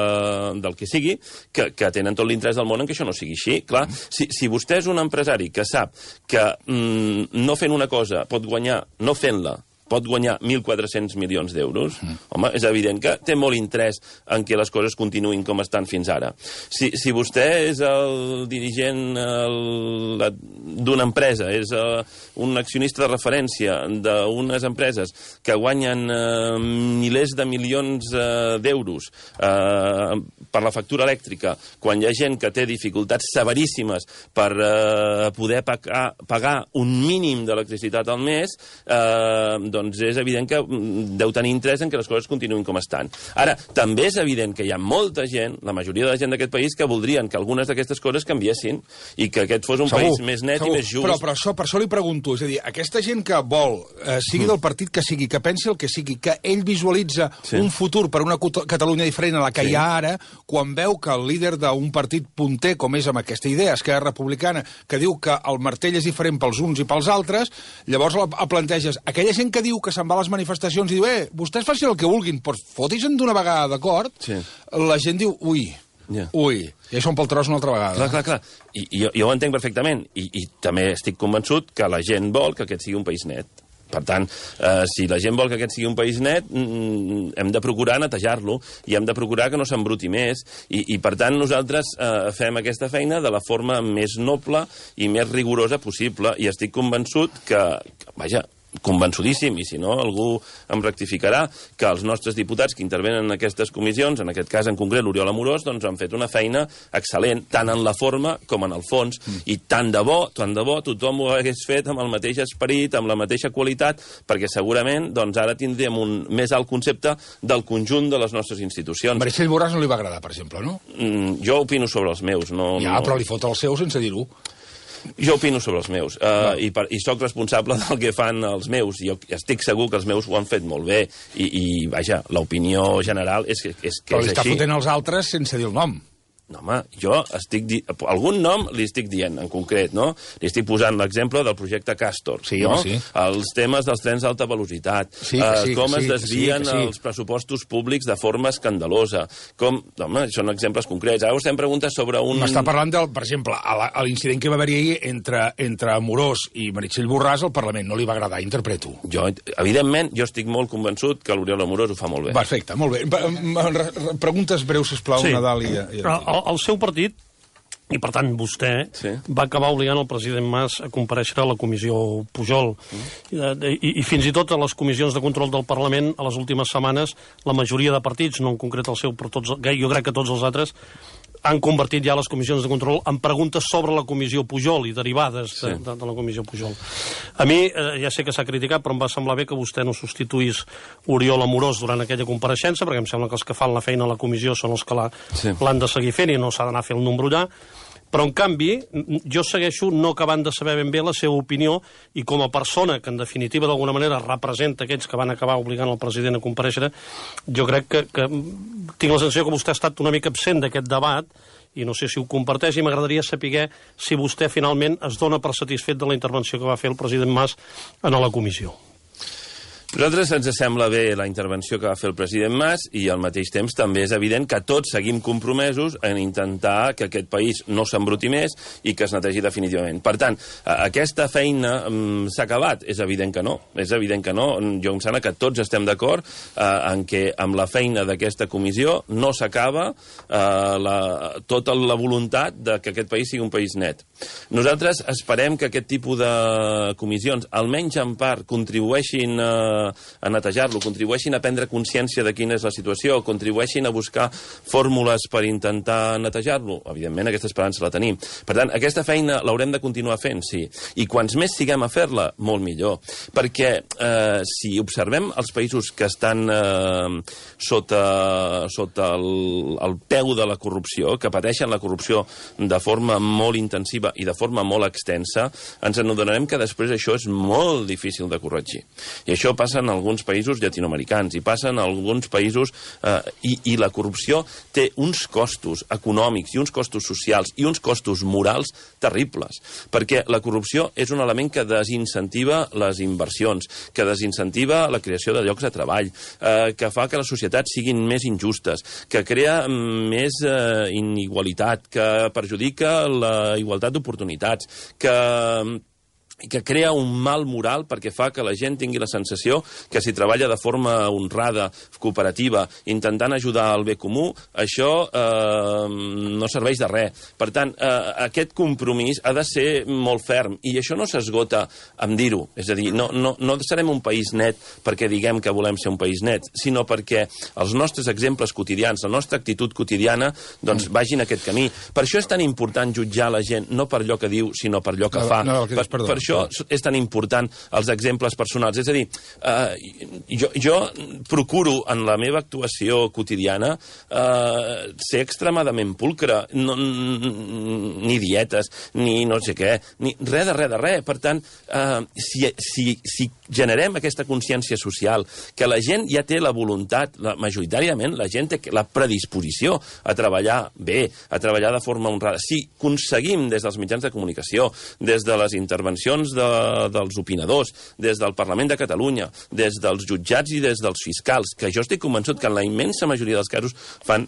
del que sigui, que, que tenen tot l'interès del món en que això no sigui així. Clar, si, si vostè és un empresari que sap que mm, no fent una cosa pot guanyar, no fent-la, pot guanyar mil quatre-cents milions d'euros, mm. home, és evident que té molt interès en que les coses continuïn com estan fins ara. Si, si vostè és el dirigent d'una empresa, és uh, un accionista de referència d'unes empreses que guanyen uh, milers de milions uh, d'euros uh, per la factura elèctrica, quan hi ha gent que té dificultats severíssimes per uh, poder pagar, pagar un mínim d'electricitat al mes, uh, doncs és evident que deu tenir interès en que les coses continuïn com estan. Ara, també és evident que hi ha molta gent, la majoria de la gent d'aquest país, que voldrien que algunes d'aquestes coses canviessin i que aquest fos un segur, país més net segur. I més just. Però, però això, per això li pregunto, és a dir, aquesta gent que vol, eh, sigui mm. del partit que sigui, que pensi el que sigui, que ell visualitza sí. un futur per una Catalunya diferent a la que sí. hi ha ara, quan veu que el líder d'un partit punter, com és amb aquesta idea, Esquerra Republicana, que diu que el martell és diferent pels uns i pels altres, llavors el planteges. Aquella gent que diu que se'n va a les manifestacions i diu, eh, vostès facin el que vulguin, però fotis-en d'una vegada, d'acord? Sí. La gent diu, ui, Yeah. Ui, i això un palterós una altra vegada. Clar, clar, clar. I, i jo, jo ho entenc perfectament. I, I també estic convençut que la gent vol que aquest sigui un país net. Per tant, eh, si la gent vol que aquest sigui un país net, mm, hem de procurar netejar-lo i hem de procurar que no s'embruti més. I, i per tant, nosaltres eh, fem aquesta feina de la forma més noble i més rigorosa possible. I estic convençut que, que vaja, convençudíssim, i si no, algú em rectificarà, que els nostres diputats que intervenen en aquestes comissions, en aquest cas en concret l'Oriol Amorós, doncs han fet una feina excel·lent, tant en la forma com en el fons, mm. i tant de bo, tant de bo, tothom ho hagués fet amb el mateix esperit, amb la mateixa qualitat, perquè segurament doncs, ara tindríem un més alt concepte del conjunt de les nostres institucions. Meritxell Borràs no li va agradar, per exemple, no? Mm, jo opino sobre els meus. No, ja, no... però li fot el seu sense dir-ho. Jo opino sobre els meus, uh, i, per, i sóc responsable del que fan els meus, i jo estic segur que els meus ho han fet molt bé, i, i vaja, l'opinió general és que és, que és així. Però li està fotent els altres sense dir el nom. No, home, jo estic... Di... Algun nom li estic dient, en concret, no? Li estic posant l'exemple del projecte Castor, sí, no? Sí. Els temes dels trens d'alta velocitat, sí, eh, sí, com sí, es desvien sí, sí. els pressupostos públics de forma escandalosa, com... Home, són exemples concrets. Ara vostè em pregunta sobre un... M'està parlant, del, per exemple, a l'incident que va haver-hi ahir entre, entre Amorós i Meritxell Borràs al Parlament. No li va agradar, interpreto. Jo, evidentment, jo estic molt convençut que l'Oriol Amorós ho fa molt bé. Perfecte, molt bé. Preguntes breus, sisplau, sí. Nadal i... i... El, el seu partit, i per tant vostè, sí. va acabar obligant el president Mas a comparèixer a la comissió Pujol. Mm. I, i, I fins i tot a les comissions de control del Parlament, a les últimes setmanes, la majoria de partits, no en concret el seu, però tots, jo crec que tots els altres, han convertit ja les comissions de control en preguntes sobre la comissió Pujol i derivades de, sí. de, de la comissió Pujol. A mi, eh, ja sé que s'ha criticat, però em va semblar bé que vostè no substituís Oriol Amorós durant aquella compareixença, perquè em sembla que els que fan la feina a la comissió són els que l'han sí. de seguir fent i no s'ha d'anar a fer el número allà. Però, en canvi, jo segueixo no acabant de saber ben bé la seva opinió i com a persona que, en definitiva, d'alguna manera representa aquells que van acabar obligant el president a comparèixer, jo crec que, que tinc la sensació que vostè ha estat una mica absent d'aquest debat i no sé si ho comparteix i m'agradaria saber si vostè finalment es dona per satisfet de la intervenció que va fer el president Mas en la comissió. A nosaltres ens sembla bé la intervenció que va fer el president Mas i al mateix temps també és evident que tots seguim compromesos en intentar que aquest país no s'embruti més i que es netegi definitivament. Per tant, aquesta feina um, s'ha acabat? És evident que no. És evident que no. Jo em sembla que tots estem d'acord uh, en que amb la feina d'aquesta comissió no s'acaba uh, la, tota la voluntat de que aquest país sigui un país net. Nosaltres esperem que aquest tipus de comissions, almenys en part, contribueixin a uh, a netejar-lo, contribueixin a prendre consciència de quina és la situació, contribueixin a buscar fórmules per intentar netejar-lo. Evidentment, aquesta esperança la tenim. Per tant, aquesta feina l'haurem de continuar fent, sí. I quants més siguem a fer-la, molt millor. Perquè eh, si observem els països que estan eh, sota, sota el, el peu de la corrupció, que pateixen la corrupció de forma molt intensiva i de forma molt extensa, ens adonarem que després això és molt difícil de corregir. I això passa en alguns països llatinoamericans i passa en alguns països eh, i, i la corrupció té uns costos econòmics i uns costos socials i uns costos morals terribles, perquè la corrupció és un element que desincentiva les inversions, que desincentiva la creació de llocs de treball, eh, que fa que les societats siguin més injustes, que crea més eh, inigualitat, que perjudica la igualtat d'oportunitats, que que crea un mal moral perquè fa que la gent tingui la sensació que si treballa de forma honrada, cooperativa, intentant ajudar al bé comú, això eh, no serveix de res. Per tant, eh, aquest compromís ha de ser molt ferm, i això no s'esgota amb dir-ho. És a dir, no, no, no serem un país net perquè diguem que volem ser un país net, sinó perquè els nostres exemples quotidians, la nostra actitud quotidiana, doncs vagin aquest camí. Per això és tan important jutjar la gent, no per allò que diu, sinó per allò que no, fa. No, no, per, per això és tan important els exemples personals. És a dir, eh, jo, jo procuro en la meva actuació quotidiana eh, ser extremadament pulcre, no, ni dietes, ni no sé què, ni res de res de res. Per tant, eh, si, si, si generem aquesta consciència social, que la gent ja té la voluntat, la, majoritàriament la gent té la predisposició a treballar bé, a treballar de forma honrada. Si aconseguim des dels mitjans de comunicació, des de les intervencions de, dels opinadors, des del Parlament de Catalunya, des dels jutjats i des dels fiscals, que jo estic convençut que en la immensa majoria dels casos fan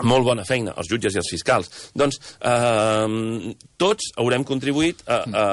molt bona feina, els jutges i els fiscals. Doncs eh, tots haurem contribuït a, a,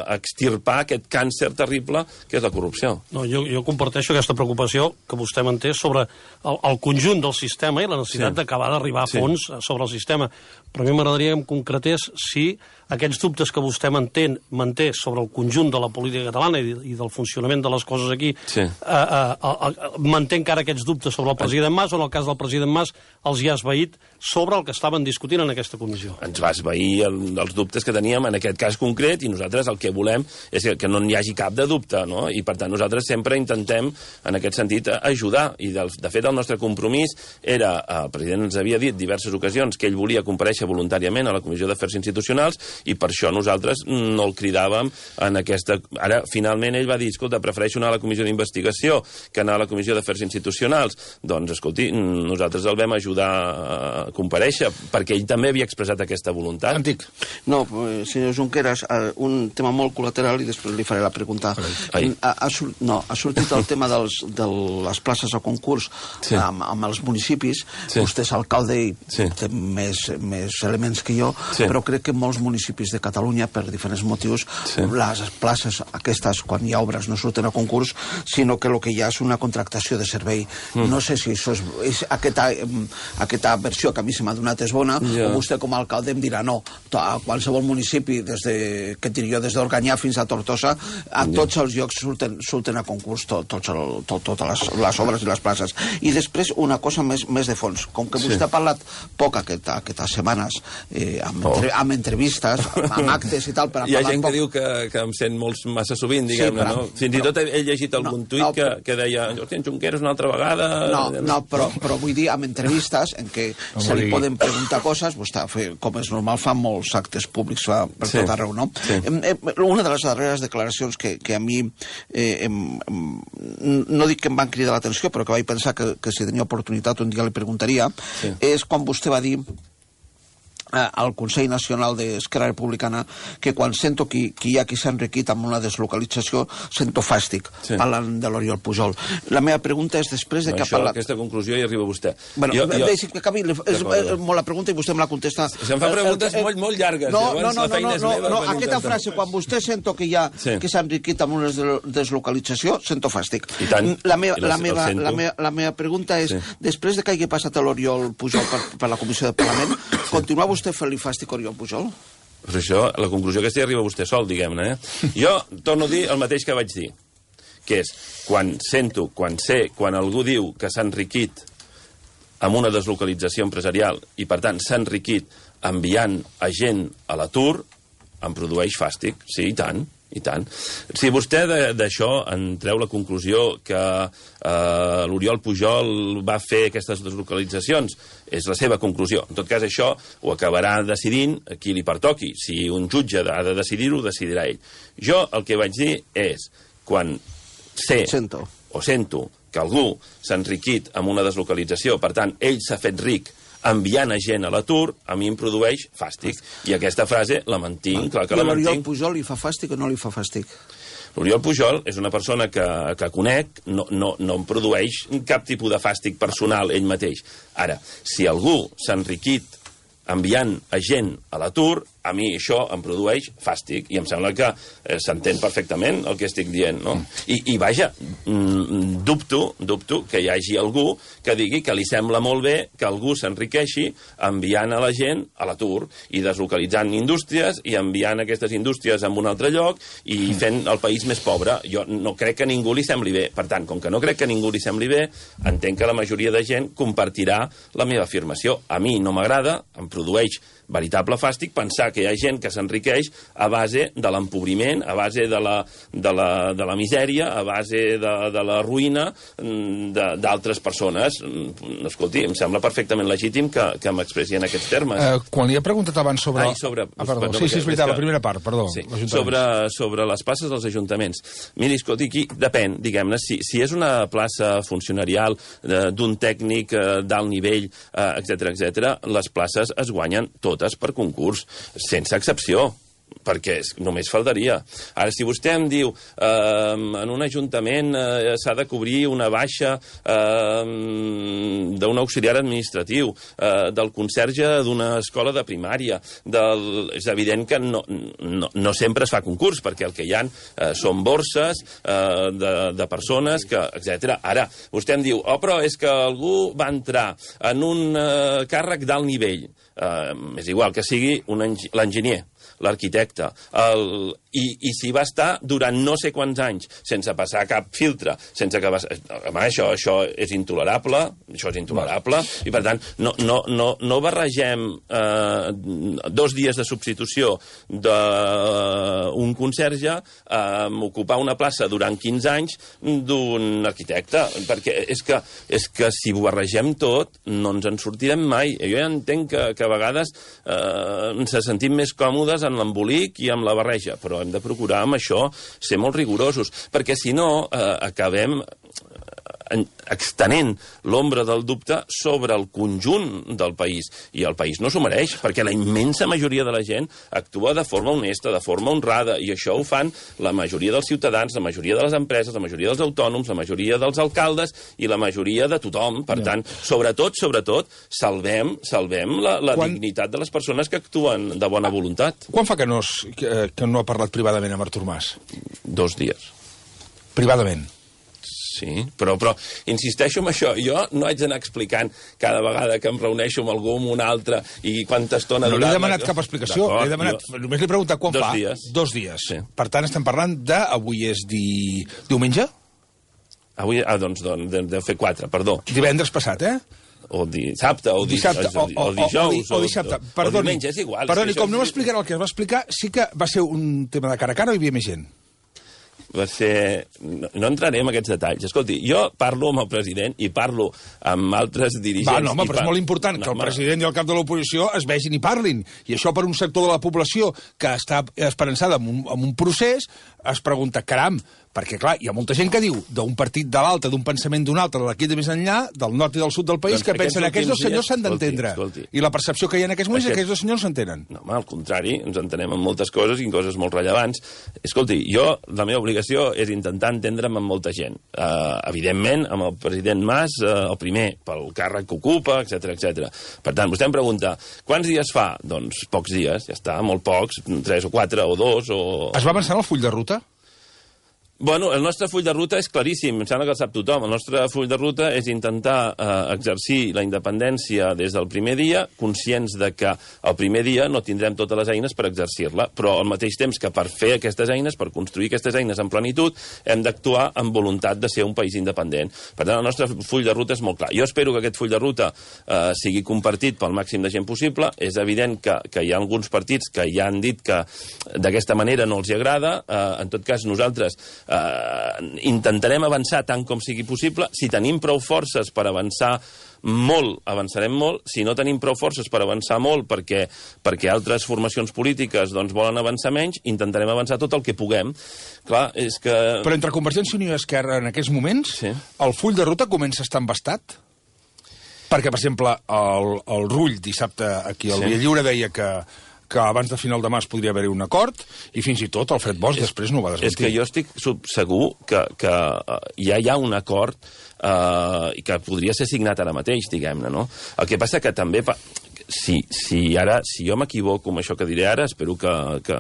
a extirpar aquest càncer terrible que és la corrupció. No, jo, jo comparteixo aquesta preocupació que vostè manté sobre el, el conjunt del sistema i la necessitat sí. d'acabar d'arribar a fons sí. sobre el sistema. Però a mi m'agradaria que em concretés si aquests dubtes que vostè manté, manté sobre el conjunt de la política catalana i, i del funcionament de les coses aquí, sí. eh, eh, eh, manté encara aquests dubtes sobre el president Mas o en el cas del president Mas els hi ha esvaït sobre el que estaven discutint en aquesta comissió. Ens va esvair el, els dubtes que teníem en aquest cas concret i nosaltres el que volem és que, que no n'hi hagi cap de dubte, no? I per tant nosaltres sempre intentem en aquest sentit ajudar i de, de fet el nostre compromís era, el president ens havia dit diverses ocasions que ell volia comparèixer voluntàriament a la Comissió d'Afers Institucionals i per això nosaltres no el cridàvem en aquesta... Ara, finalment, ell va dir, escolta, prefereixo anar a la Comissió d'Investigació que anar a la Comissió d'Afers Institucionals. Doncs, escolti, nosaltres el vam ajudar a comparèixer, perquè ell també havia expressat aquesta voluntat. Antic. No, senyor Junqueras, un tema molt col·lateral i després li faré la pregunta. Ha, ha, no, ha sortit el tema dels, de les places a concurs sí. amb, amb els municipis. Sí. Vostè és alcalde i sí. té més, més elements que jo, sí. però crec que molts municipis de Catalunya, per diferents motius, sí. les places aquestes, quan hi ha obres, no surten a concurs, sinó que el que hi ha és una contractació de servei. Mm. No sé si això és, és aquesta, aquesta versió que a mi se m'ha donat és bona, yeah. o vostè com a alcalde em dirà no. A qualsevol municipi, des de, que et diria, des d'Organyà fins a Tortosa, a yeah. tots els llocs surten, surten a concurs tot, tot el, tot, totes les, les obres i les places. I després una cosa més, més de fons. Com que vostè sí. ha parlat poc aquest, aquestes setmanes eh, amb, entre, oh. amb entrevistes, amb, amb actes i tal... Per hi ha gent poc... que diu que, que em sent molt massa sovint, diguem-ne, sí, no? Fins però, i tot he, he llegit algun no, tuit no, que, que deia hòstia, en Junqueras una altra vegada... No, no però, però vull dir, amb entrevistes en què no, se li poden preguntar coses, vostè, com és normal, fa molts actes públics fa per sí. tot arreu, no? Sí. Una de les darreres declaracions que, que a mi eh, em, em, no dic que em van cridar l'atenció, però que vaig pensar que, que si tenia oportunitat un dia li preguntaria, sí. és quan vostè va dir al Consell Nacional d'Esquerra Republicana que quan sento que, que hi ha qui s'ha enriquit amb una deslocalització sento fàstic, sí. parlant de l'Oriol Pujol. La meva pregunta és després de no, que ha parlat... Aquesta conclusió hi arriba vostè. Bueno, jo, jo... deixi que acabi, és, és molt la pregunta i vostè me la contesta. Si em fa preguntes eh, eh, molt, molt llargues, no, llavors no, no, la feina no, és no, meva. No, no aquesta frase, quan vostè sento que hi ha sí. que s'ha enriquit amb una deslocalització, sento fàstic. I tant. La meva, la meva, la meva, la meva pregunta és, sí. després de que hagi passat l'Oriol Pujol per, per la Comissió de Parlament, continua vostè fent-li fàstic Oriol Pujol? Pues això, la conclusió aquesta hi arriba vostè sol, diguem-ne. Eh? Jo torno a dir el mateix que vaig dir, que és, quan sento, quan sé, quan algú diu que s'ha enriquit amb una deslocalització empresarial i, per tant, s'ha enriquit enviant a gent a l'atur, em produeix fàstic, sí, i tant. I tant. Si vostè d'això en treu la conclusió que eh, l'Oriol Pujol va fer aquestes deslocalitzacions, és la seva conclusió. En tot cas, això ho acabarà decidint a qui li pertoqui. Si un jutge ha de decidir-ho, decidirà ell. Jo el que vaig dir és, quan sé sento. o sento que algú s'ha enriquit amb una deslocalització, per tant, ell s'ha fet ric enviant a gent a l'atur, a mi em produeix fàstic. I aquesta frase la mantinc, clar que la mantinc. L'Oriol Pujol li fa fàstic o no li fa fàstic? L'Oriol Pujol és una persona que, que conec, no, no, no em produeix cap tipus de fàstic personal ell mateix. Ara, si algú s'ha enriquit enviant a gent a l'atur, a mi això em produeix fàstic, i em sembla que eh, s'entén perfectament el que estic dient, no? I, i vaja, mm, dubto, dubto que hi hagi algú que digui que li sembla molt bé que algú s'enriqueixi enviant a la gent a l'atur i deslocalitzant indústries i enviant aquestes indústries a un altre lloc i fent el país més pobre. Jo no crec que a ningú li sembli bé. Per tant, com que no crec que a ningú li sembli bé, entenc que la majoria de gent compartirà la meva afirmació. A mi no m'agrada, em produeix veritable fàstic pensar que hi ha gent que s'enriqueix a base de l'empobriment, a base de la, de la, de la misèria, a base de, de la ruïna d'altres persones. Escolti, em sembla perfectament legítim que, que m'expressi en aquests termes. Eh, quan li he preguntat abans sobre... Ai, sobre... Ah, perdó, sí, sí, és veritat, la primera part, perdó. Sí. Sobre, sobre les places dels ajuntaments. Miri, escolti, aquí depèn, diguem-ne, si, si és una plaça funcionarial eh, d'un tècnic eh, d'alt nivell, eh, etcètera, etcètera, les places es guanyen totes per concurs, sense excepció. perquè només faltaria. Ara, si vostè em diu eh, en un ajuntament eh, s'ha de cobrir una baixa eh, d'un auxiliar administratiu, eh, del conserge d'una escola de primària, del... és evident que no, no, no sempre es fa concurs, perquè el que hi ha eh, són borses eh, de, de persones, que etcètera. Ara, vostè em diu, oh, però és que algú va entrar en un eh, càrrec d'alt nivell. Eh, és igual que sigui l'enginyer, l'arquitecte, el... I, i si va estar durant no sé quants anys sense passar cap filtre, sense que... Home, això, això és intolerable, això és intolerable, i per tant, no, no, no, no barregem eh, dos dies de substitució d'un conserge amb eh, ocupar una plaça durant quinze anys d'un arquitecte, perquè és que, és que si ho barregem tot no ens en sortirem mai. Jo ja entenc que, que a vegades eh, ens sentim més còmodes en l'embolic i amb la barreja, però hem de procurar amb això ser molt rigorosos, perquè si no eh, acabem extenent l'ombra del dubte sobre el conjunt del país, i el país no s'ho mereix, perquè la immensa majoria de la gent actua de forma honesta, de forma honrada, i això ho fan la majoria dels ciutadans, la majoria de les empreses, la majoria dels autònoms, la majoria dels alcaldes i la majoria de tothom. Per tant, sobretot, sobretot, salvem, salvem la, la Quan... dignitat de les persones que actuen de bona voluntat. Quan fa que no, es, que, que no ha parlat privadament amb Artur Mas? Dos dies. Privadament? Sí, però, però insisteixo en això. Jo no haig d'anar explicant cada vegada que em reuneixo amb algú, amb un altre, i quanta estona... No li he demanat cap explicació. He demanat, jo... Només li he preguntat quan Dos fa. Dies. Dos dies. Sí. Per tant, estem parlant de... Avui és di... diumenge? Avui, ah, doncs, doncs deu fer quatre, perdó. Divendres passat, eh? O dissabte, o, di... dissabte, o, o, o dijous, o, o, o dissabte. O, perdoni, o diumenge, és igual. Perdoni, és com no m'explicarà el que es va explicar, sí que va ser un tema de cara a cara o hi havia més gent? Va ser... No, no entraré en aquests detalls. Escolti, jo parlo amb el president i parlo amb altres dirigents... Va, no, home, però par... és molt important no, que el home... president i el cap de l'oposició es vegin i parlin. I això per un sector de la població que està esperançada en un, en un procés es pregunta, caram, perquè, clar, hi ha molta gent que diu d'un partit de l'altre, d'un pensament d'un altre, de d'aquí de més enllà, del nord i del sud del país, doncs que pensen que aquests dos senyors s'han d'entendre. I la percepció que hi ha en aquests moments Aquest... és que aquests dos senyors s'entenen. No, home, al contrari, ens entenem en moltes coses i en coses molt rellevants. Escolti, jo, la meva obligació és intentar entendre'm amb molta gent. Uh, evidentment, amb el president Mas, uh, el primer, pel càrrec que ocupa, etcètera, etcètera. Per tant, vostè em pregunta, quants dies fa? Doncs pocs dies, ja està, molt pocs, tres o quatre o dos o... Es va avançar en el full de ruta? Bueno, el nostre full de ruta és claríssim, em sembla que el sap tothom. El nostre full de ruta és intentar eh, exercir la independència des del primer dia, conscients de que el primer dia no tindrem totes les eines per exercir-la, però al mateix temps que per fer aquestes eines, per construir aquestes eines en plenitud, hem d'actuar amb voluntat de ser un país independent. Per tant, el nostre full de ruta és molt clar. Jo espero que aquest full de ruta eh, sigui compartit pel màxim de gent possible. És evident que, que hi ha alguns partits que ja han dit que d'aquesta manera no els hi agrada. Eh, en tot cas, nosaltres Uh, intentarem avançar tant com sigui possible. Si tenim prou forces per avançar molt, avançarem molt. Si no tenim prou forces per avançar molt perquè, perquè altres formacions polítiques doncs, volen avançar menys, intentarem avançar tot el que puguem. Clar, és que... Però entre Convergència i Unió i Esquerra en aquests moments, sí. El full de ruta comença a estar embastat? Perquè, per exemple, el, el Rull dissabte aquí al sí. Via Lliure deia que que abans de final de març podria haver-hi un acord, i fins i tot Alfred Bosch és, després no ho va desmentir. És que jo estic segur que, que ja hi ha un acord eh, que podria ser signat ara mateix, diguem-ne, no? El que passa que també... Si, si, ara, si jo m'equivoco amb això que diré ara, espero que, que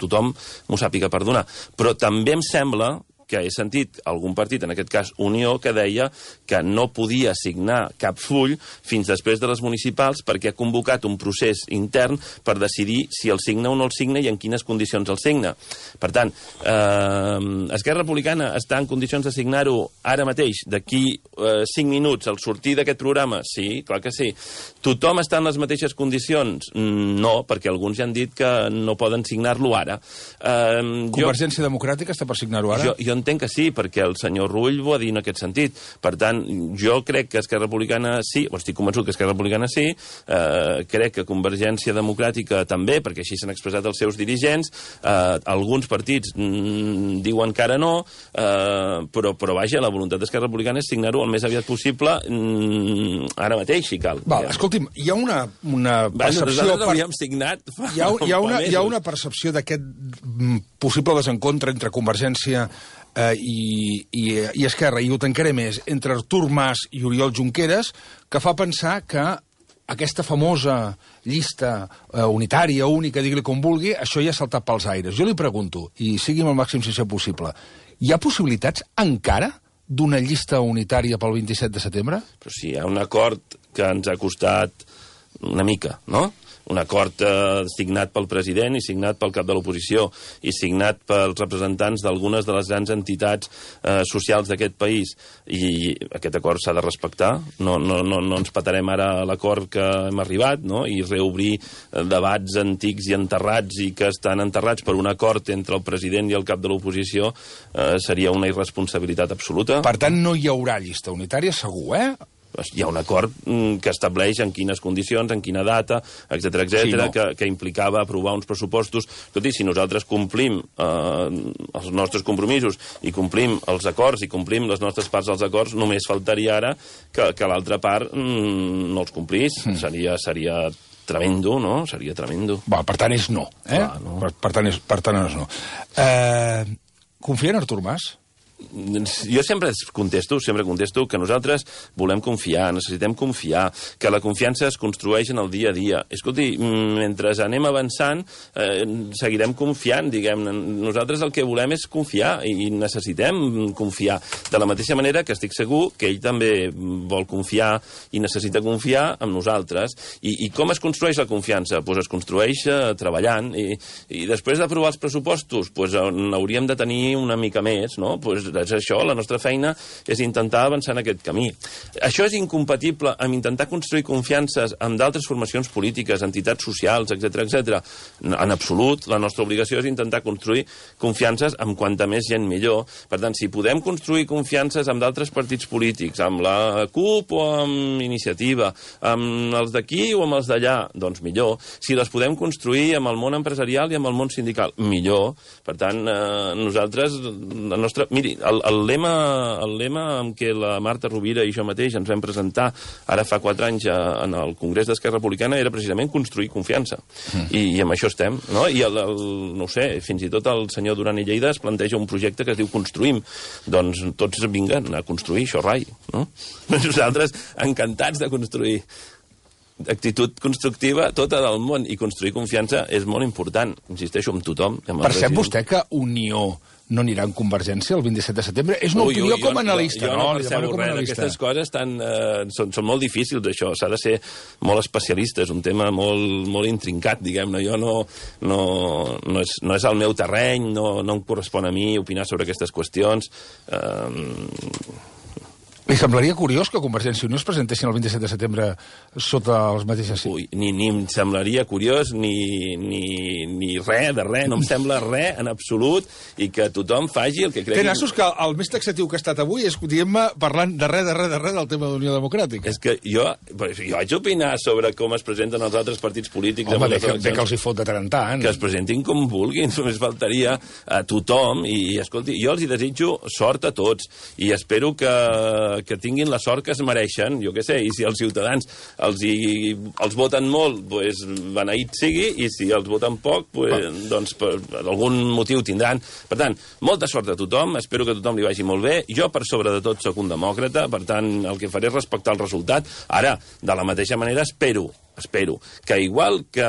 tothom m'ho sàpiga perdonar, però també em sembla que he sentit algun partit, en aquest cas Unió, que deia que no podia signar cap full fins després de les municipals perquè ha convocat un procés intern per decidir si el signa o no el signa i en quines condicions el signa. Per tant, eh, Esquerra Republicana està en condicions de signar-ho ara mateix, d'aquí eh, cinc minuts, al sortir d'aquest programa? Sí, clar que sí. Tothom està en les mateixes condicions? No, perquè alguns ja han dit que no poden signar-lo ara. Eh, Convergència jo... Democràtica està per signar-ho ara? Jo, jo entenc que sí, perquè el senyor Rull ho ha dit en aquest sentit. Per tant, jo crec que Esquerra Republicana sí, o estic convençut que Esquerra Republicana sí, eh, crec que Convergència Democràtica també, perquè així s'han expressat els seus dirigents, eh, alguns partits mm, diuen que ara no, eh, però, però vaja, la voluntat d'Esquerra Republicana és signar-ho el més aviat possible, mm, ara mateix, si cal. Val, escolti'm, hi ha una, una percepció... Nosaltres l'hauríem signat fa, hi ha, hi ha una, fa hi ha una percepció d'aquest possible desencontre entre Convergència eh, i, i, i Esquerra, i ho tancaré més, entre Artur Mas i Oriol Junqueras, que fa pensar que aquesta famosa llista eh, unitària, única, digui-li com vulgui, això ja ha saltat pels aires. Jo li pregunto, i sigui amb el màxim sincer possible, hi ha possibilitats encara d'una llista unitària pel vint-i-set de setembre? Però sí, hi ha un acord que ens ha costat una mica, no? Un acord eh, signat pel president i signat pel cap de l'oposició i signat pels representants d'algunes de les grans entitats eh, socials d'aquest país. I aquest acord s'ha de respectar. No, no, no, no ens patarem ara a l'acord que hem arribat, no? I reobrir eh, debats antics i enterrats i que estan enterrats per un acord entre el president i el cap de l'oposició eh, seria una irresponsabilitat absoluta. Per tant, no hi haurà llista unitària, segur, eh? Hi ha un acord que estableix en quines condicions, en quina data, etcètera, etcètera, sí, no? que, que implicava aprovar uns pressupostos. Escolti, si nosaltres complim eh, els nostres compromisos i complim els acords i complim les nostres parts dels acords, només faltaria ara que, que l'altra part mm, no els complís. Mm. Seria, seria tremendo, no? Seria tremendo. Va, per tant, és no. Eh? Clar, no. Per, per, tant, és, per tant, és no. Eh, confia en Artur Mas? Jo sempre contesto, sempre contesto que nosaltres volem confiar, necessitem confiar, que la confiança es construeix en el dia a dia. Escolti, mentre anem avançant, eh, seguirem confiant, diguem. Nosaltres el que volem és confiar i necessitem confiar. De la mateixa manera que estic segur que ell també vol confiar i necessita confiar en nosaltres. I, i com es construeix la confiança? Pues es construeix eh, treballant i, i després d'aprovar els pressupostos pues, n'hauríem de tenir una mica més, no? Pues és això, la nostra feina és intentar avançar en aquest camí. Això és incompatible amb intentar construir confiances amb d'altres formacions polítiques, entitats socials, etcètera, etcètera. En absolut, la nostra obligació és intentar construir confiances amb quanta més gent millor. Per tant, si podem construir confiances amb d'altres partits polítics, amb la CUP o amb Iniciativa, amb els d'aquí o amb els d'allà, doncs millor. Si les podem construir amb el món empresarial i amb el món sindical, millor. Per tant, eh, nosaltres, la nostra... Miri, El, el, lema, el lema amb què la Marta Rovira i jo mateix ens vam presentar ara fa quatre anys a, en el Congrés d'Esquerra Republicana era precisament construir confiança. Mm. I, I amb això estem, no? I el, el, no ho sé, fins i tot el senyor Duran i Lleida es planteja un projecte que es diu Construïm. Doncs tots vinguen a construir això, rai, no? Nosaltres encantats de construir. Actitud constructiva tota del món i construir confiança és molt important, insisteixo, amb tothom. Amb Percep vostè que Unió no anirà en Convergència el vint-i-set de setembre? És una ui, opinió ui, com a jo, analista. Jo no, no percebo res. Aquestes coses tan, eh, són, són molt difícils, això. S'ha de ser molt especialista. És un tema molt, molt intrincat, diguem-ne. Jo no, no, no, és, no és el meu terreny, no, no em correspon a mi opinar sobre aquestes qüestions. Eh, Li semblaria curiós que Convergència i Unió es presentessin el vint-i-set de setembre sota els mateixos... Ui, ni, ni em semblaria curiós, ni, ni, ni res de res, no em sembla res en absolut, i que tothom faci el que cregui... Té nassos que el més taxatiu que ha estat avui és, diguem-me, parlant de res, de res, de res del tema d'Unió Democràtica. És que jo, jo vaig opinar sobre com es presenten els altres partits polítics... Home, bé que, bé que els hi fot de tant en tant. Que es presentin com vulguin, només faltaria a tothom, i, i escolti, jo els hi desitjo sort a tots, i espero que que tinguin la sort que es mereixen, jo què sé, i si els ciutadans els, hi, els voten molt, pues, beneït sigui, i si els voten poc, pues, doncs per algun motiu tindran. Per tant, molta sort a tothom, espero que a tothom li vagi molt bé. Jo, per sobre de tot, sóc un demòcrata, per tant, el que faré és respectar el resultat. Ara, de la mateixa manera, espero espero que, igual que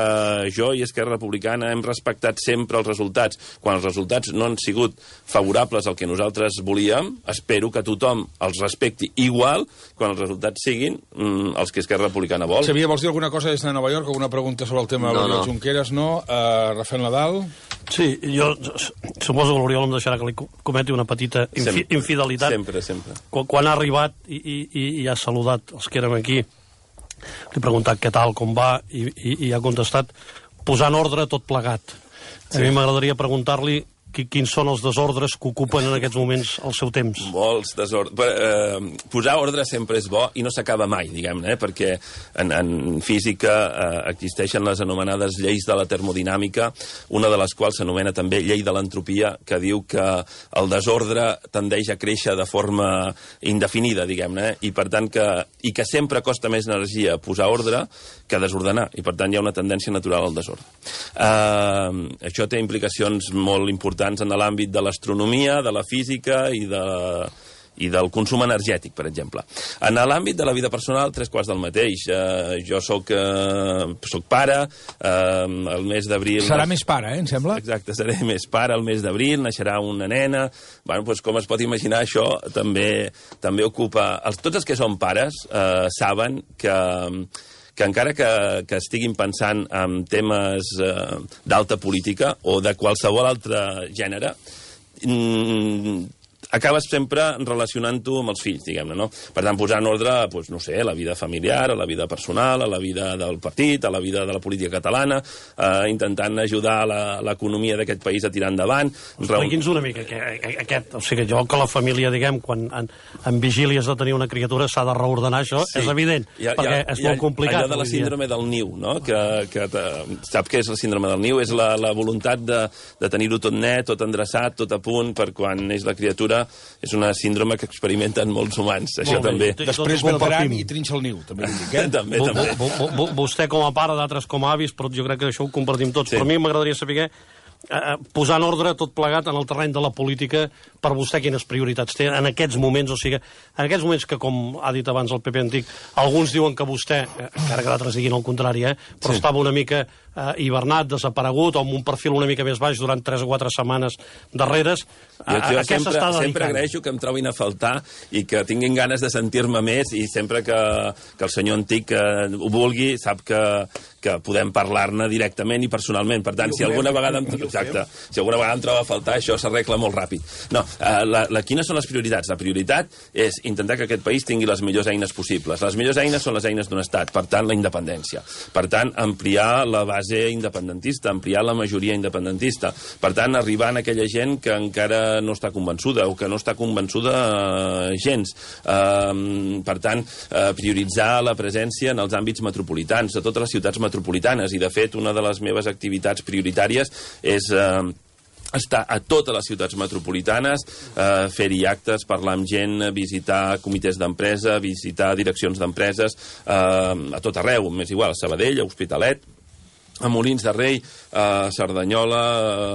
jo i Esquerra Republicana hem respectat sempre els resultats, quan els resultats no han sigut favorables al que nosaltres volíem, espero que tothom els respecti igual quan els resultats siguin mm, els que Esquerra Republicana vol. Xavier, vols dir alguna cosa des de Nova York? Alguna pregunta sobre el tema de l'Oriol no, no. Junqueras? No? Uh, Rafael Nadal? Sí, jo suposo que l'Oriol em deixarà que li cometi una petita infi sempre, infidelitat. Sempre, sempre. Quan, quan ha arribat i, i, i ha saludat els que érem aquí, li he preguntat què tal, com va, i, i, i ha contestat posant ordre tot plegat. Sí. A mi m'agradaria preguntar-li quins són els desordres que ocupen en aquests moments el seu temps? Molts desordres. Eh, posar ordre sempre és bo i no s'acaba mai, diguem-ne, eh? Perquè en, en física eh, existeixen les anomenades lleis de la termodinàmica, una de les quals s'anomena també llei de l'entropia, que diu que el desordre tendeix a créixer de forma indefinida, diguem-ne, i per tant que, i que sempre costa més energia posar ordre que desordenar, i per tant hi ha una tendència natural al desordre. Eh, això té implicacions molt importants en l'àmbit de l'astronomia, de la física i, de, i del consum energètic, per exemple. En l'àmbit de la vida personal, tres quarts del mateix. Eh, jo soc, eh, soc pare, eh, el mes d'abril... Serà més pare, eh, em sembla? Exacte, seré més pare, el mes d'abril, naixerà una nena... Bueno, doncs, com es pot imaginar, això també, també ocupa... Els, tots els que són pares eh, saben que... que encara que, que estiguin pensant en temes eh, d'alta política o de qualsevol altre gènere, mm, acabes sempre relacionant-ho amb els fills, diguem-ne, no? Per tant, posar en ordre, doncs, no sé, la vida familiar, a la vida personal, a la vida del partit, a la vida de la política catalana, eh, intentant ajudar l'economia d'aquest país a tirar endavant. Expliqui'ns una mica que, aquest, o sigui, jo que la família, diguem, quan en, en vigília has de tenir una criatura s'ha de reordenar, això sí. És evident, ha, perquè ha, és molt complicat. Allò de la síndrome del niu, no? Que, que sap què és la síndrome del niu? És la, la voluntat de, de tenir-ho tot net, tot endreçat, tot a punt, per quan neix la criatura. És una síndrome que experimenten molts humans, això molt també. Bé. Després vendran i trinxa el niu, també. Eh? també, també. Vostè com a pare, d'altres com a avis, però jo crec que això ho compartim tots. Sí. Però a mi m'agradaria saber eh, posar en ordre tot plegat en el terreny de la política, per vostè quines prioritats té en aquests moments, o sigui, en aquests moments que, com ha dit abans el P P antic, alguns diuen que vostè, encara que d'altres diguin el contrari, eh, però sí. Estava una mica eh, hibernat, desaparegut, o amb un perfil una mica més baix durant tres o quatre setmanes darreres. Jo, jo sempre, sempre agraeixo que em trobin a faltar i que tinguin ganes de sentir-me més, i sempre que, que el senyor antic eh, ho vulgui, sap que, que podem parlar-ne directament i personalment. Per tant, si alguna vegada em, exacte, si alguna vegada em troba a faltar, això s'arregla molt ràpid. No, eh, la, la, quines són les prioritats? La prioritat és intentar que aquest país tingui les millors eines possibles. Les millors eines són les eines d'un estat, per tant, la independència. Per tant, ampliar la base independentista, ampliar la majoria independentista. Per tant, arribar a aquella gent que encara no està convençuda o que no està convençuda eh, gens. Eh, per tant, eh, prioritzar la presència en els àmbits metropolitans, de totes les ciutats metropolitanes, i de fet una de les meves activitats prioritàries és eh, estar a totes les ciutats metropolitanes, eh, fer-hi actes, parlar amb gent, visitar comitès d'empresa, visitar direccions d'empreses, eh, a tot arreu, m'és igual, a Sabadell, a Hospitalet, a Molins de Rei, a Cerdanyola,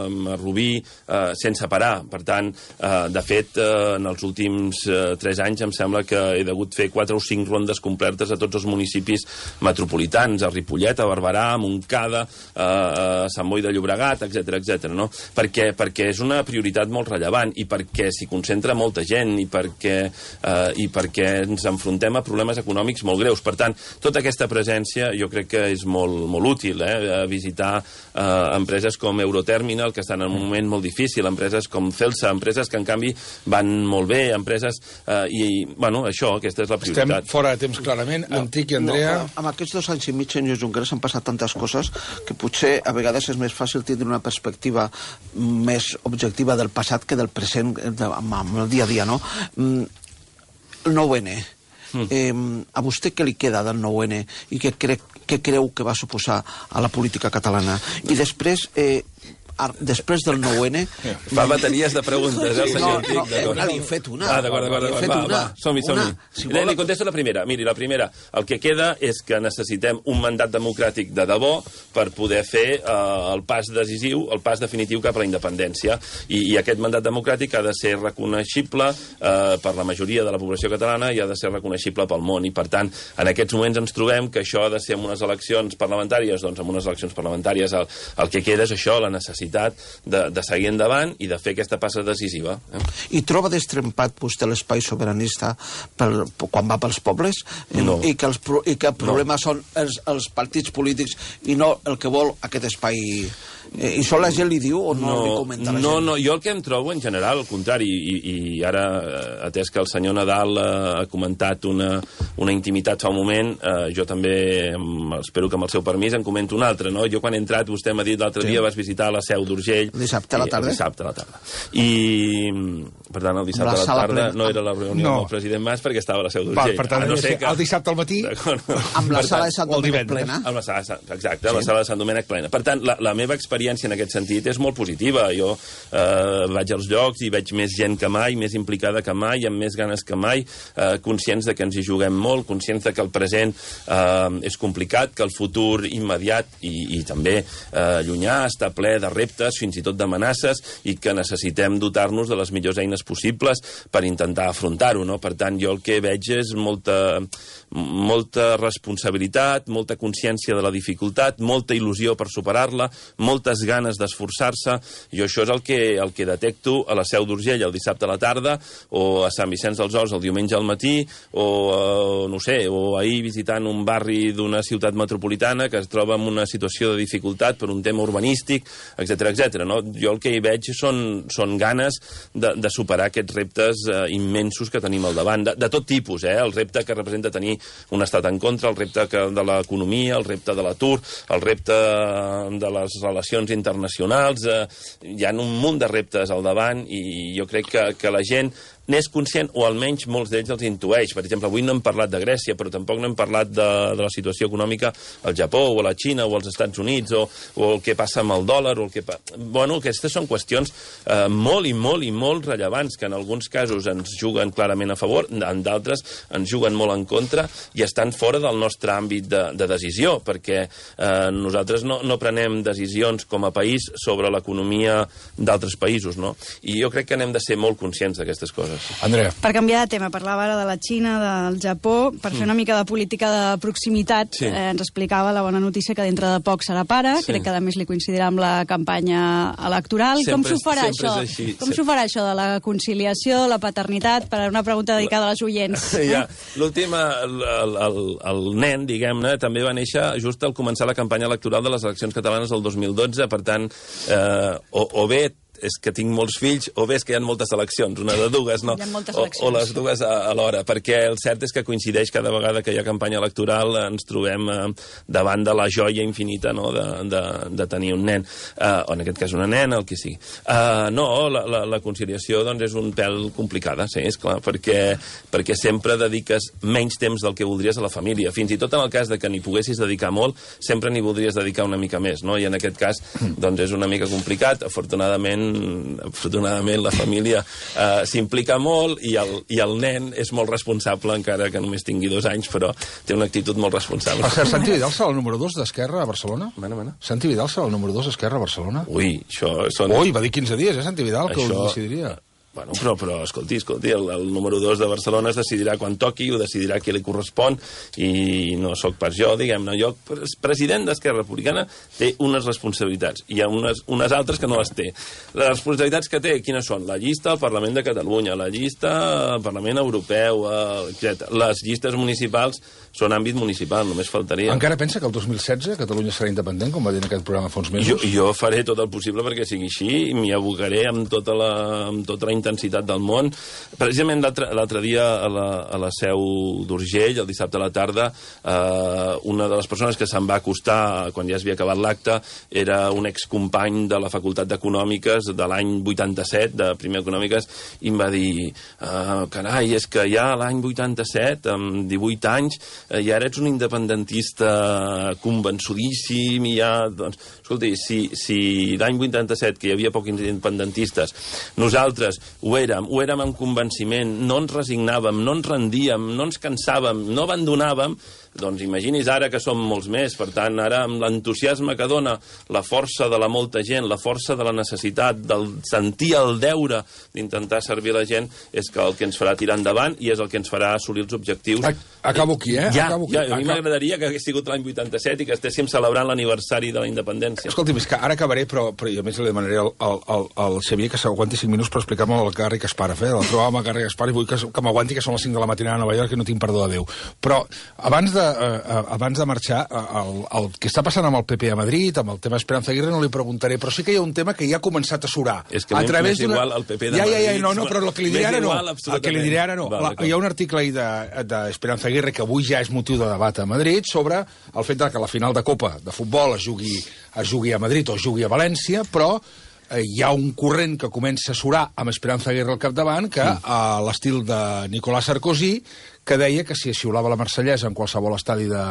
a Rubí, eh, sense parar. Per tant, eh, de fet, eh, en els últims eh, tres anys em sembla que he degut fer quatre o cinc rondes completes a tots els municipis metropolitans, a Ripollet, a Barberà, a Montcada, eh, a Sant Boi de Llobregat, etcètera, etcètera, no? Perquè, perquè és una prioritat molt rellevant, i perquè s'hi concentra molta gent, i perquè, eh, i perquè ens enfrontem a problemes econòmics molt greus. Per tant, tota aquesta presència jo crec que és molt, molt útil, eh? A visitar eh, empreses com Euroterminal, que estan en un moment molt difícil, empreses com Celsa, empreses que en canvi van molt bé, empreses eh, i, bueno, això, aquesta és la prioritat. Estem fora de temps, clarament. No, Antic i Andrea... No, amb aquests dos anys i mig, senyor Junqueras, han passat tantes coses que potser a vegades és més fàcil tindre una perspectiva més objectiva del passat que del present, de, amb el dia a dia, no? El nou ene. Mm. Eh, a vostè què li queda del nou ene i què, cre què creu que va suposar a la política catalana? I després... Eh, després del nou ene... Fa bateries de preguntes, eh, el senyor Antic. No, no, no, n'he fet una. Ah, d'acord, d'acord. Va, va, som-hi, som-hi. Si vol... Li contesto la primera. Miri, la primera, el que queda és que necessitem un mandat democràtic de debò per poder fer eh, el pas decisiu, el pas definitiu cap a la independència. I, i aquest mandat democràtic ha de ser reconeixible eh, per la majoria de la població catalana i ha de ser reconeixible pel món. I, per tant, en aquests moments ens trobem que això ha de ser en unes eleccions parlamentàries, doncs en unes eleccions parlamentàries el, el que queda és això, la necessitat De, de seguir endavant i de fer aquesta passa decisiva. Eh? I troba destrempat vostè l'espai sobiranista per, quan va pels pobles? No. I que, els, i que el problema no. són els, els partits polítics i no el que vol aquest espai. Eh, I això la gent li diu o no, no li comenta la no, gent? No, jo el que em trobo en general, al contrari, i, i ara, atès que el senyor Nadal eh, ha comentat una, una intimitat fa un moment, eh, jo també, espero que amb el seu permís, en comento una altra, no? Jo quan he entrat, vostè m'ha dit l'altre sí. dia, vas visitar la Seu d'Urgell. Dissabte a la tarda? Dissabte a la tarda. I, per tant, el dissabte a la tarda plena. No era la reunió no. amb el president Mas perquè estava a la Seu d'Urgell. Per tant, no sé que... el dissabte al matí... Amb la sala de Sant Domènec plena? Amb la sala, exacte, sí. la sala de Sant Domènec plena. Per tant, la, la meva experiència en aquest sentit és molt positiva. Jo eh, vaig als llocs i veig més gent que mai, més implicada que mai, amb més ganes que mai, eh, conscients de que ens hi juguem molt, conscients de que el present eh, és complicat, que el futur immediat i, i també eh, llunyà està ple de reptes, fins i tot d'amenaces, i que necessitem dotar-nos de les millors eines possibles per intentar afrontar-ho, no? Per tant, jo el que veig és molta, molta responsabilitat, molta consciència de la dificultat, molta il·lusió per superar-la, moltes ganes d'esforçar-se. Jo això és el que, el que detecto a la Seu d'Urgell el dissabte a la tarda, o a Sant Vicenç dels Horts el diumenge al matí, o, eh, no sé, o ahir visitant un barri d'una ciutat metropolitana que es troba en una situació de dificultat per un tema urbanístic, etcètera, etcètera. No? Jo el que hi veig són, són ganes de, de superar aquests reptes eh, immensos que tenim al davant, de, de tot tipus, eh? El repte que representa tenir un estat en contra, el repte que, de l'economia, el repte de l'atur, el repte de les relacions internacionals, eh, hi ha un munt de reptes al davant i jo crec que, que la gent n'és conscient, o almenys molts d'ells els intueix. Per exemple, avui no hem parlat de Grècia, però tampoc no hem parlat de, de la situació econòmica al Japó, o a la Xina, o als Estats Units, o, o el que passa amb el dòlar, o el que... Pa... Bueno, aquestes són qüestions eh, molt i molt i molt rellevants, que en alguns casos ens juguen clarament a favor, en d'altres ens juguen molt en contra, i estan fora del nostre àmbit de, de decisió, perquè eh, nosaltres no, no prenem decisions com a país sobre l'economia d'altres països, no? I jo crec que n'hem de ser molt conscients d'aquestes coses. Andrea. Per canviar de tema, parlava ara de la Xina, del Japó, per fer una mica de política de proximitat, sí. eh, ens explicava la bona notícia que dintre de poc serà pare, sí. crec que a més li coincidirà amb la campanya electoral. Sempre, com s'ho farà això? Com s'ho farà això de la conciliació, la paternitat, per una pregunta dedicada a les oients? Ja, l'últim, el, el, el, el nen, diguem-ne, també va néixer just al començar la campanya electoral de les eleccions catalanes del dos mil dotze, per tant, eh, o, o bé és que tinc molts fills, o bé és que hi ha moltes eleccions, una de dues, no? O, o les dues a, a l'hora, perquè el cert és que coincideix cada vegada que hi ha campanya electoral, ens trobem eh, davant de la joia infinita, no?, de, de, de tenir un nen, eh, o en aquest cas una nena, el que sigui. Eh, no, la, la, la conciliació, doncs, és un pèl complicada, sí, és clar, perquè, perquè sempre dediques menys temps del que voldries a la família, fins i tot en el cas de que n'hi poguessis dedicar molt, sempre n'hi voldries dedicar una mica més, no? I en aquest cas, doncs, és una mica complicat. Afortunadament, afortunadament la família eh, s'implica molt i el, i el nen és molt responsable, encara que només tingui dos anys, però té una actitud molt responsable. Per cert, Santi Vidal serà el número dos d'Esquerra a Barcelona? Mana, mana. Santi Vidal serà el número dos d'Esquerra a Barcelona? Ui, això són... Ui, va dir quinze dies, eh, Santi Vidal, que això... ho decidiria. Bueno, però, però escolti, escolti, el, el número dos de Barcelona es decidirà quan toqui, ho decidirà qui li correspon, i no sóc pas jo, diguem-ne. Jo, president d'Esquerra Republicana, té unes responsabilitats, i hi ha unes, unes altres que no les té. Les responsabilitats que té, quines són? La llista al Parlament de Catalunya, la llista al Parlament Europeu, etcètera. Les llistes municipals són àmbit municipal, només faltaria. Encara pensa que el dos mil setze Catalunya serà independent, com va dir en aquest programa fa uns mesos? Jo, jo faré tot el possible perquè sigui així, i m'hi abocaré amb tota la, amb tota la intensitat del món. Precisament l'altre dia a la, a la Seu d'Urgell, el dissabte a la tarda, eh, una de les persones que se'm va acostar quan ja s'havia acabat l'acte era un excompany de la Facultat d'Econòmiques de l'any vuitanta-set, de primer Econòmiques, i em va dir, eh, carai, és que ja l'any vuitanta-set, amb divuit anys, eh, ja eres un independentista convençudíssim, i ja, doncs, escolti, si, si l'any vuitanta-set, que hi havia pocs independentistes, nosaltres ho érem, ho érem amb convenciment, no ens resignàvem, no ens rendíem, no ens cansàvem, no abandonàvem, doncs imagini's ara que som molts més. Per tant, ara amb l'entusiasme que dona la força de la molta gent, la força de la necessitat, del sentir el deure d'intentar servir la gent, és que el que ens farà tirar endavant i és el que ens farà assolir els objectius. Acabo aquí, eh? Ja, Acabo aquí. ja a mi m'agradaria que hagués sigut l'any vuitanta-set i que estéssim celebrant l'aniversari de la independència. Escolti, és que ara acabaré, però, però a més li demanaré al, al, al, al Xavier que s'aguanti cinc minuts per explicar-me el Garri Kasparov, eh? El trobàvem a Garri Kasparov i vull que, que m'aguanti, que són les cinc de la matinada a Nova York i no tinc perdó de Déu. Però abans de eh, abans de marxar, el, el que està passant amb el P P a Madrid, amb el tema Esperanza Aguirre, no li preguntaré, però sí que hi ha un tema que ja ha començat a surar. És que a través m'és igual el P P de ja, Madrid. Ja, ja, no, no, però el que li diré ara no. El que li diré ara no. Val, La, hi ha un article ahir d'Esperanza de, Aguirre que avui ja és motiu de debat a Madrid sobre el fet que la final de Copa de futbol es jugui, es jugui a Madrid o es jugui a València, però hi ha un corrent que comença a surar amb Esperanza Aguirre al capdavant, que mm. a l'estil de Nicolas Sarkozy, que deia que si es xiulava la Marsellesa en qualsevol estadi de,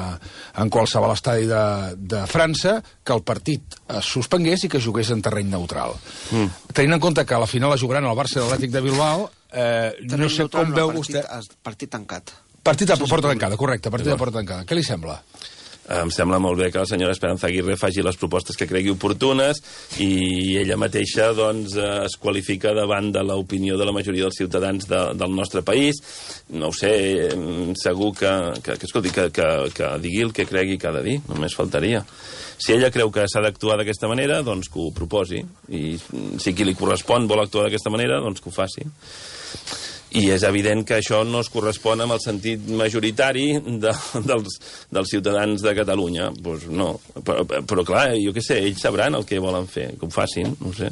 en qualsevol estadi de, de França, que el partit es suspengués i que jugués en terreny neutral. Mm. Tenint en compte que a la final la jugaran el Barça i l'Atlètic de Bilbao, eh, no sé com veu partit, vostè... Partit tancat. Partit a porta tancada, correcte, partit a porta tancada. Què li sembla? Em sembla molt bé que la senyora Esperanza Aguirre faci les propostes que cregui oportunes i ella mateixa doncs, es qualifica davant de l'opinió de la majoria dels ciutadans de, del nostre país. No ho sé, segur que, que, que, escolti, que, que, que digui el que cregui que ha de dir, només faltaria. Si ella creu que s'ha d'actuar d'aquesta manera, doncs que ho proposi. I si qui li correspon vol actuar d'aquesta manera, doncs que ho faci. I és evident que això no es correspon amb el sentit majoritari de, dels, dels ciutadans de Catalunya. Pues no. Però, però clar, jo què sé, ells sabran el que volen fer, que ho facin, no ho sé.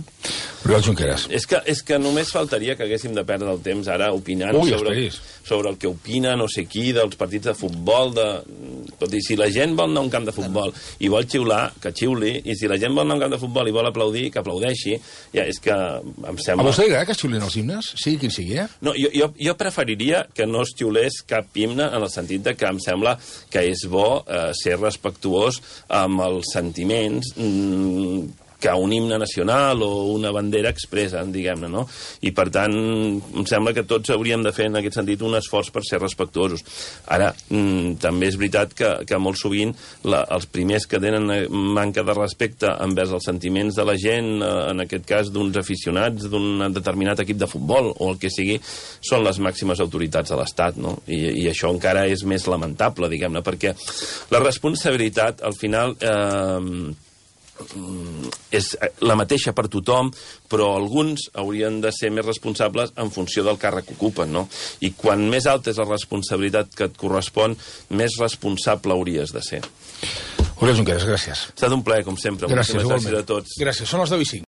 Oriol Junqueras. És que, és que només faltaria que haguéssim de perdre el temps ara opinant Ui, sobre, sobre el que opina no sé qui dels partits de futbol. De... Tot i si la gent vol anar a un camp de futbol i vol xiular, que xiuli, i si la gent vol anar a un camp de futbol i vol aplaudir, que aplaudeixi. Ja, és que em sembla... A vostè li agrada que es xiulin els himnes? Sí, quin sigui, eh? No, jo, jo, jo preferiria que no es xiulés cap himne en el sentit de que em sembla que és bo eh, ser respectuós amb els sentiments mm, que un himne nacional o una bandera expressen, diguem-ne, no? I, per tant, em sembla que tots hauríem de fer, en aquest sentit, un esforç per ser respectuosos. Ara, mm, també és veritat que, que molt sovint la, els primers que tenen manca de respecte envers els sentiments de la gent, eh, en aquest cas d'uns aficionats d'un determinat equip de futbol o el que sigui, són les màximes autoritats de l'Estat, no? I, i això encara és més lamentable, diguem-ne, perquè la responsabilitat, al final... Eh, és la mateixa per tothom, però alguns haurien de ser més responsables en funció del càrrec que ocupen, no? I quan més alta és la responsabilitat que et correspon, més responsable hauries de ser. Oriol Junqueras, gràcies. Ha estat un plaer, com sempre. Gràcies, gràcies a tots. Gràcies, són les deu i cinc.